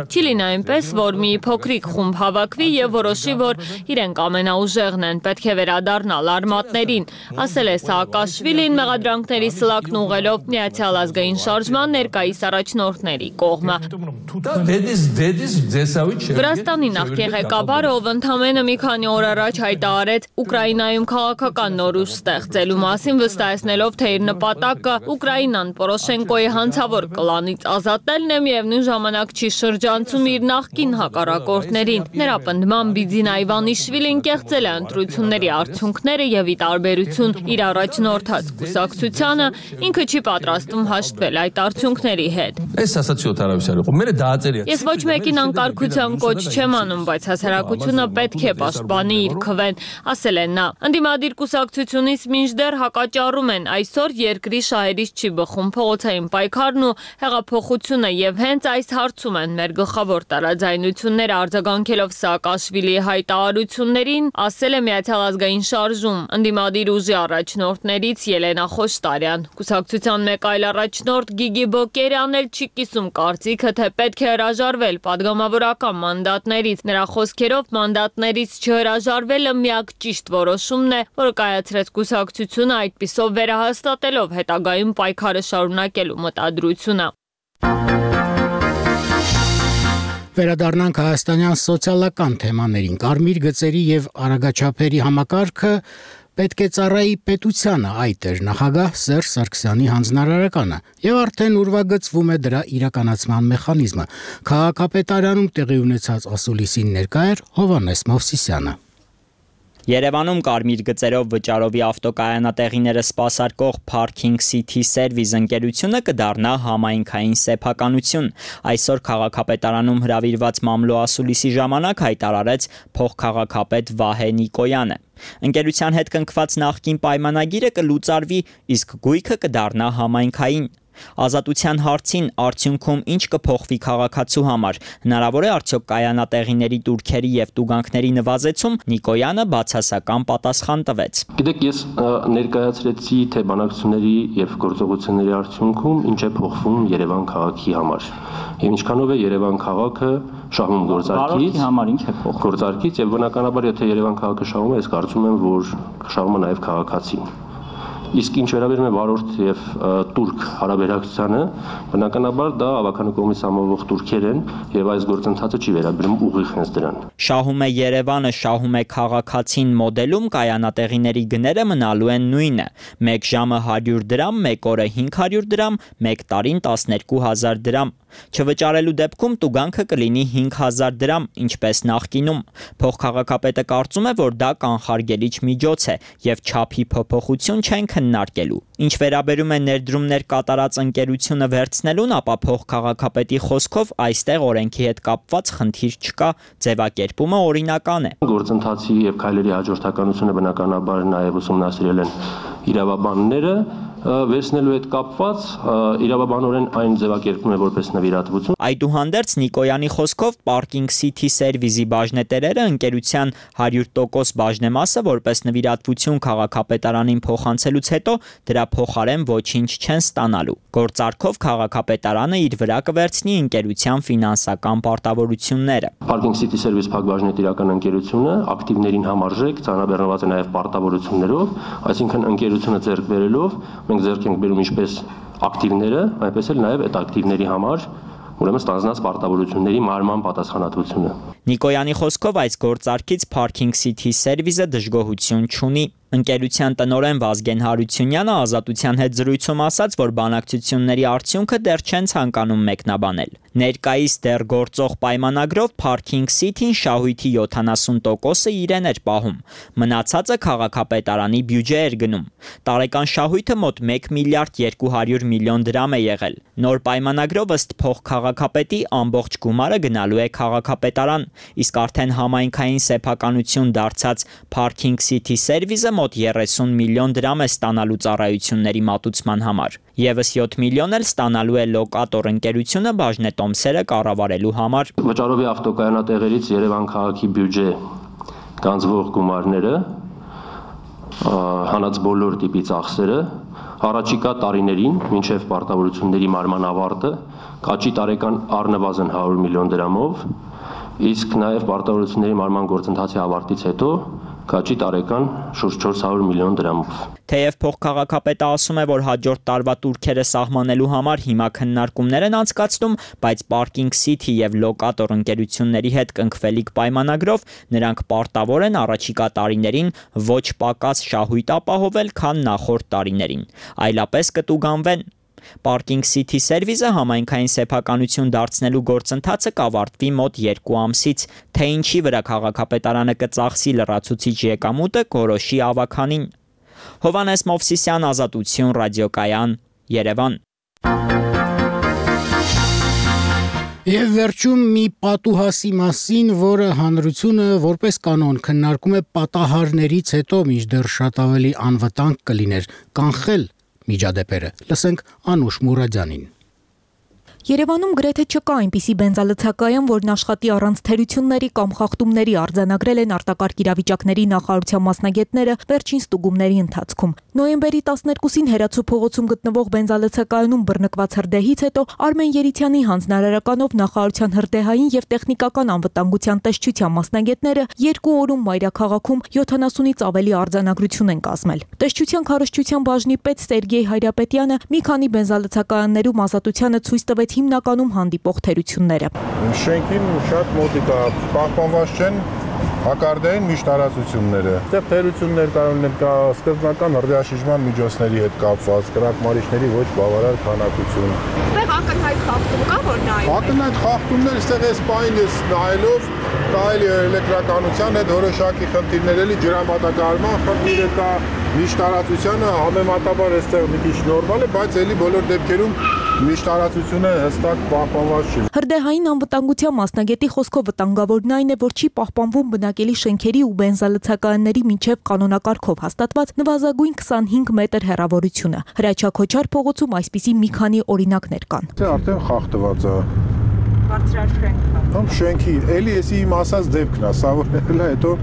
G: Չի լինի այնպես, որ մի փոքրիկ խումբ հավաքվի եւ որոշի, որ իրենք ամենաուժեղն են, պետք է վերադառնալ արմատներին, ասել է Սաակաշվիլին մեղադրանքների սլակն ուղղելով Միացյալ ազգային շարժման ներկայիս առաջնորդների կողմը։ Վրաստանի նախկին ղեկավարը, ով ընդամենը մի քանի օր առաջ հայտարարեց Ուկրաինայում քաղաքական նոր ուժ ստեղծելու մասին, վստահեցնելով, թե իր նպատակը Ուկրաինան Պորոշենկոյի հանցավոր կլանից ազատելն է, միևնույն ժամանակ չի շրջանցում իր նախկին հակառակորդներին։ Նրա պնդմամբ Բիձինա Իվանիշվիլին կեղծել է ընտրությունների արդյունքները եւ ի տարբերություն իր առաջնորդած կուսակցությանը ինքը չի պատրաստվում հաշտվել այդ արդյունքների հետ։ Ես ոչ մեկին անկարգության կոչ չեմ անում, բայց հասարակությունը պետք է պաշտպանի իր քվեն, ասել է նա։ Ընդդիմադիր կուսակցությունից մինչդեռ հակաճառում են այսօր երկրի շահերից չի բխում փողոցային պայքարն ու հեղափոխությունը եւ հենց այս հարցում են մեր գլխավոր տարաձայնությունները, արձագանքելով Սաակաշվիլիի հայտարարություններին, ասել է Միացյալ ազգային շարժում ընդդիմադիր ուժի առաջնորդներից Ելենա Խոշտարյան։ Կուսակցության մեկ այլ առաջնորդ Գիգի Բոկերյանն էլ չի կիսում կարծիքը, թե պետք է հրաժարվել պատգամավորական մանդատներից։ Նրա խոսքերով մանդատներից չհրաժարվելը միակ ճիշտ որոշումն է, որը կայացրեց կուսակցությունը, այդպիսով վերահաստատելով հետագայում պայքարը շարունակելու մտադրությունը։
A: Վերադառնանք հայաստանյան սոցիալական թեմաներին։ Կարմիր գծերի եւ արագաչափերի համակարգը պետք է ծառայի պետությանը, այդ էր նախագահ Սերժ Սարգսյանի հանձնարարականը, եւ արդեն ուրվագծվում է դրա իրականացման մեխանիզմը։ Քաղաքապետարանում տեղի ունեցած ասուլիսին ներկա էր Հովհաննես Մովսիսյանը։
D: Երևանում կարմիր գծերով վճարովի ավտոկայանատեղիները սպասարկող Parking City Service ընկերությունը կդառնա համայնքային սեփականություն։ Այսօր քաղաքապետարանում հրավիրված մամլո ասուլիսի ժամանակ հայտարարեց փոխքաղաքապետ Վահե Նիկոյանը։ Ընկերության հետ կնքված նախկին պայմանագիրը կլուծարվի, իսկ գույքը կդառնա համայնքային։ Ազատության հարցին արդյունքում ինչ կփոխվի քաղաքացու համար, հնարավոր է արդյոք կայանատեղիների տուրքերի եւ տուգանքների նվազեցում, Նիկոյանը բացասական պատասխան տվեց։
I: Գիտեք, ես ներկայացրեցի թե բանակցությունների եւ գործողությունների արդյունքում ինչ է փոխվում Երևան քաղաքի համար։ Եվ ինչքանով է Երևան քաղաքը շահում գործարքից, համար ինչ է փոխվում գործարքից եւ բնականաբար եթե Երևան քաղաքը շահում է, ես կարծում եմ, որ շահում է նաեւ քաղաքացին։ Իսկ ինչ վերաբերում է վարորդ եւ տուրք հարաբերակցությանը, բնականաբար դա ավականու կողմից համովող տուրքեր են եւ այս գործընթացը չի վերաբերում ուղիղ հենց դրան։
D: Շահում է Երևանը, շահում է քաղաքացին մոդելում կայանատեղիների գները մնալու են նույնը։ Մեկ ժամը հարյուր դրամ, մեկ օրը հինգ հարյուր դրամ, մեկ տարին տասներկու հազար դրամ։ Չվճարելու դեպքում տուգանքը կլինի հինգ հազար դրամ, ինչպես նախկինում։ Փոխքաղաքապետը կարծում է, որ դա կանխարգելիչ միջոց է եւ չափի փոփոխություն չեն քննարկելու։ Ինչ վերաբերում է ներդրումներ կատարած ընկերությունը վերցնելուն, ապա փոխքաղաքապետի խոսքով այստեղ օրենքի հետ կապված խնդիր չկա, ձևակերպումը օրինական է։
I: Գործընթացի եւ քայլերի հաջորդականությունը բնականաբար նաեւ ուսումնասիրել են իրավաբանները, վերցնելու հետ կապված իրավաբանորեն այն ձևակերպվում է որպես նվիրատվություն։
D: Այդուհանդերձ Նիկոյանի խոսքով Parking City Service-ի բաժնետերերը ընկերության հարյուր տոկոս բաժնեմասը որպես նվիրատվություն քաղաքապետարանին փոխանցելուց հետո դրա փոխարեն ոչինչ չեն ստանալու։ Գործարքով քաղաքապետարանը իր վրա կվերցնի ընկերության ֆինանսական պարտավորությունները։
I: Parking City Service փակ բաժնետիրական ընկերությունը ակտիվներին համարժեք ծանրաբեռնված է նաև պարտավորություններով, այսինքն ընկերությունը ձեռք բերելով մենք ձեռք ենք բերում ինչպես ակտիվները, այնպես էլ նաև այդ ակտիվների համար ուրեմն ստանձնած պարտավորությունների մարման պատասխանատվությունը։
D: Նիկոյանի խոսքով այս գործարքից Parking City Service-ը դժգոհություն չունի։ Ընկերության տնօրեն Վազգեն Հարությունյանը Ազատության հետ զրույցում ասաց, որ բանակցությունների արդյունքը դեռ չեն ցանկանում մեկնաբանել։ Ներկայիս դեռ գործող պայմանագրով Parking City-ն շահույթի յոթանասուն տոկոսը իրեն էր պահում։ Մնացածը քաղաքապետարանի բյուջե էր գնում։ Տարեկան շահույթը մոտ մեկ միլիարդ երկու հարյուր միլիոն դրամ է եղել։ Նոր պայմանագրով ըստ փոխքաղաքապետի ամբողջ գումարը գնալու է քաղաքապետարան, իսկ արդեն համայնքային սեփականություն դարձած Parking City Service-ը մոտ երեսուն միլիոն դրամ է ստանալու ծառայությունների մատուցման համար։ Եվս յոթ միլիոն էլ ստանալու է լոկատոր ընկերությունը բաժնետոմսերը կառավարելու համար։
I: Վճարովի ավտոկայանատեղերից Երևան քաղաքի բյուջե գանձվող գումարները, հանած բոլոր տիպի ծախսերը առաջիկա տարիներին մինչև պարտավորությունների մարման ավարտը կաճի տարեկան առնվազն հարյուր միլիոն դրամով, իսկ նաև պարտավորությունների մարման գործընթացի ավարտից հետո կաճի տարեկան շուրջ չորս հարյուր միլիոն դրամով։
D: Թեև փոխքաղաքապետը ասում է, որ հաջորդ տարվա տուրքերը սահմանելու համար հիմա քննարկումներ են անցկացնում, բայց Parking City եւ լոկատոր ընկերությունների հետ կնքվելիք պայմանագրով նրանք պարտավոր են առաջիկա տարիներին ոչ պակաս շահույթ ապահովել, քան նախորդ տարիներին, այլապես կտուգանվեն։ Parking City Service-ը համայնքային սեփականություն դարձնելու գործընթացը կավարտվի մոտ երկու ամսից, թե ինչի վրա քաղաքապետարանը կծախսի լրացուցիչ եկամուտը կորոշի ավականին։ Հովանես Մովսիսյան, Ազատություն, ռադիոկայան, Երևան։
A: Եվ վերջում մի պատուհասի մասին, որը հանրությունը որպես կանոն քննարկում է պատահարներից հետո, մինչդեռ շատ ավելի անվտանգ կլիներ կանխել միջադեպերը։ Լսենք Անուշ Մուրադյանին։
H: Երևանում գրեթե չկա այնպիսի բենզալցակայան, որն աշխատի առանց թերությունների կամ խախտումների արձանագրել են արտակարգ իրավիճակների նախարարության մասնագետները վերջին ստուգումների ընթացքում։ Նոյեմբերի տասներկուսին Հերացու փողոցում գտնվող բենզալցակայանում բռնկված հրդեհից հետո Արմեն Երիցյանի հանձնարարականով նախարարության հրդեհային եւ տեխնիկական անվտանգության տեսչության մասնագետները երկու օրում մայրաքաղաքում յոթանասունից ավելի արձանագրություն են կազմել։ Տեսչության քարոզչության բաժնի պետ Սերգեյ Հայրապետյանը մի քանի բենզալցակայաններում ազատությանը ցույց տվեց հիմնականում հանդիպող թերությունները։
L: Շենքին շատ մոտիկա պահպանված չեն հակարդային միշտ տարածությունները։ Այստեղ թերություններ կարող են կա սկզբնական հրդեհաշիժման միջոցների հետ կապված, կրակմարիչների ոչ բավարար քանակություն։
U: Այստեղ ակնհայտ խախտում կա, որ նայում։
L: Ակնհայտ խախտումներ այստեղ էս պայն ես նայելով կարելի է էլեկտրականության հետ որոշակի խնդիրներ էլի ջրամատակարարման խնդիրը կա, միշտ տարածությունը համեմատաբար այստեղ մի քիչ նորմալ է, բայց էլի բոլոր դեպքերում միշտ տարածությունը հստակ պահպանված չի։
H: Հրդեհային անվտանգության մասնագետի խոսքով վտանգավորն այն է, որ չի պահպանվում բնակելի շենքերի ու բենզալցակայանների միջև կանոնակարգով հաստատված նվազագույն քսանհինգ մետր հեռավորությունը։ Հրաչյա Քոչար փողոցում այսպիսի մի քանի օրինակներ կան։
L: Դա արդեն խախտված է։
U: Բարձրալ շենքը։
L: Ամ շենքի, էլի էսի իմ ասած դեպքն է, սա որ հələ հետո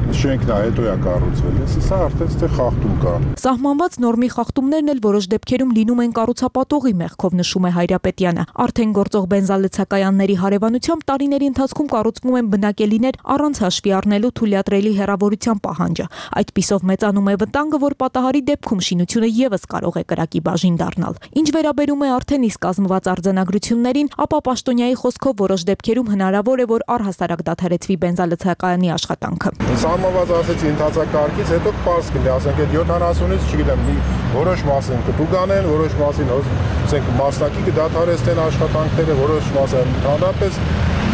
L: շենքն է, հետո է կառուցվել։ Սա արդեն ստե խախտում կա։
H: Սահմանված նորմի խախտումներն էլ որոշ դեպքերում լինում են կառուցապատողի մեղքով, նշում է Հայրապետյանը։ Արդեն գործող բենզալցակայանների հարևանությամբ տարիների ընթացքում կառուցվում են բնակելիներ առանց հաշվի առնելու թույլատրելի հեռավորության պահանջը։ Այդպիսով մեծանում է վտանգը, որ պատահարի դեպքում շինությունը եւս կարող է կրակի բաժին դառնալ։ Ինչ վերաբերում է արդեն իսկ կազմված արձանագրություններին, ապա պաշտոնյայի խոսքով որոշ դեպքերում հնարավոր է, որ առհասարակ դադարեցվի բենզալցակայանի աշխատանքը։
L: Սահմանված ասեցի ընթացակարգից հետո պարզ կլինի, ասենք այդ յոթանասունից, չգիտեմ, որոշ մասին կտուգանեն, որոշ մասին ասենք մասնակի կդադարեցնեն աշխատանքները, որոշ մասը ընդհանրապես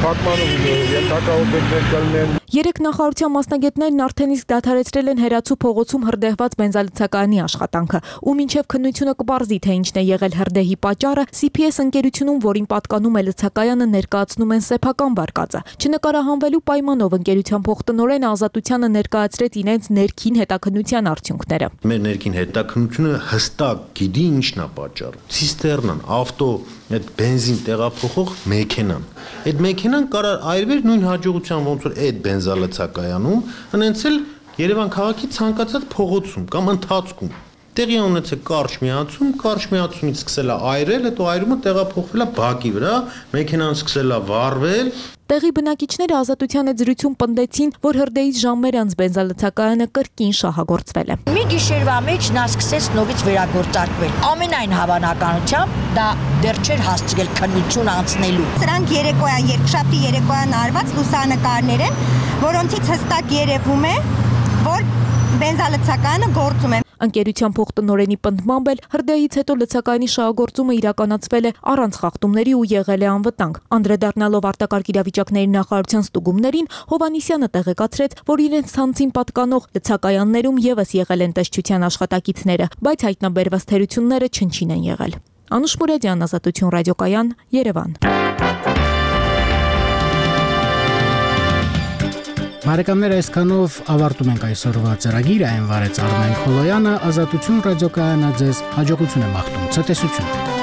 L: փակմանով ենթակա օբյեկտներ կլինեն։
H: Երեք նախարարության մասնագետներն արդեն իսկ դադարեցրել են Հերացու փողոցում հրդեհված բենզալցակայանի աշխատանքը, ու մինչև քննությունը կպարզի, թե ինչն է եղել հրդեհի պատճառը, սի փի էս ընկերությունում, որին պատկանում է լցակայանը, ներկայացնում են սեփական վարկածը։ Չնկարահանվելու պայմանով ընկերության փոխտնօրենը Ազատությանը ներկայացրեց իրենց ներքին հետաքննության արդյունքները։
J: Մեր ներքին հետաքննությունը հստակ գիտի ինչն է պատճառը։ Ցիստերնան, ավտո, այդ բենզին տեղափոխող մեքենան։ Այդ մեքենան կարող այրվեր նույն հաջողության ոնց որ այդ բենզալցակայանում, հնեցել Երևան քաղաքի ցանկացած փողոցում կամ ընթացքում։ Տեղի ունեցել կարճ միացում, կարճ միացումից սկսել է այրել, հետո այրումը տեղափոխվել է բակի վրա, մեքենան սկսել է վառվել։
H: Տեղի բնակիչները Ազատության հետ զրույցում պնդեցին, որ հրդեհից ժամեր անց բենզալցակայանը կրկին շահագործվել է։
K: Մի գիշերվա մեջ նա սկսեց նորից վերագործարկվել։ Ամենայն հավանականությամբ դա դեռ չէր հասցրել քննություն անցնելու։
M: Սրանք երեկոյան, երկշաբթի երեկոյան արված լուսանկարներ են, որոնցից հստակ երևում է, որ բենզալցակայանը գործում է։
H: Ընկերության փոխտնօրենի պնդմամբ էլ հրդեհից հետո լցակայանի շահագործումը իրականացվել է առանց խախտումների ու եղել է անվտանգ։ Անդրադառնալով արտակարգ իրավիճակների նախարարության ստուգումներին, Հովհաննիսյանը տեղեկացրեց, որ իրենց ցանցին պատկանող լցակայաններում եւս եղել են տեսչության աշխատակիցները, բայց հայտնաբերված թերությունները չնչին են եղել։ Անուշ Մուրադյան, Ազատություն ռադիոկայան, Երևան։
A: Բարեկամներ, այսքանով ավարտում ենք այսօրվա ծրագիրը, այն վարեց Արմեն Խոլոյանը, Ազատություն ռադիոկայանը ձեզ հաջողություն է մաղթում, ցտեսություն։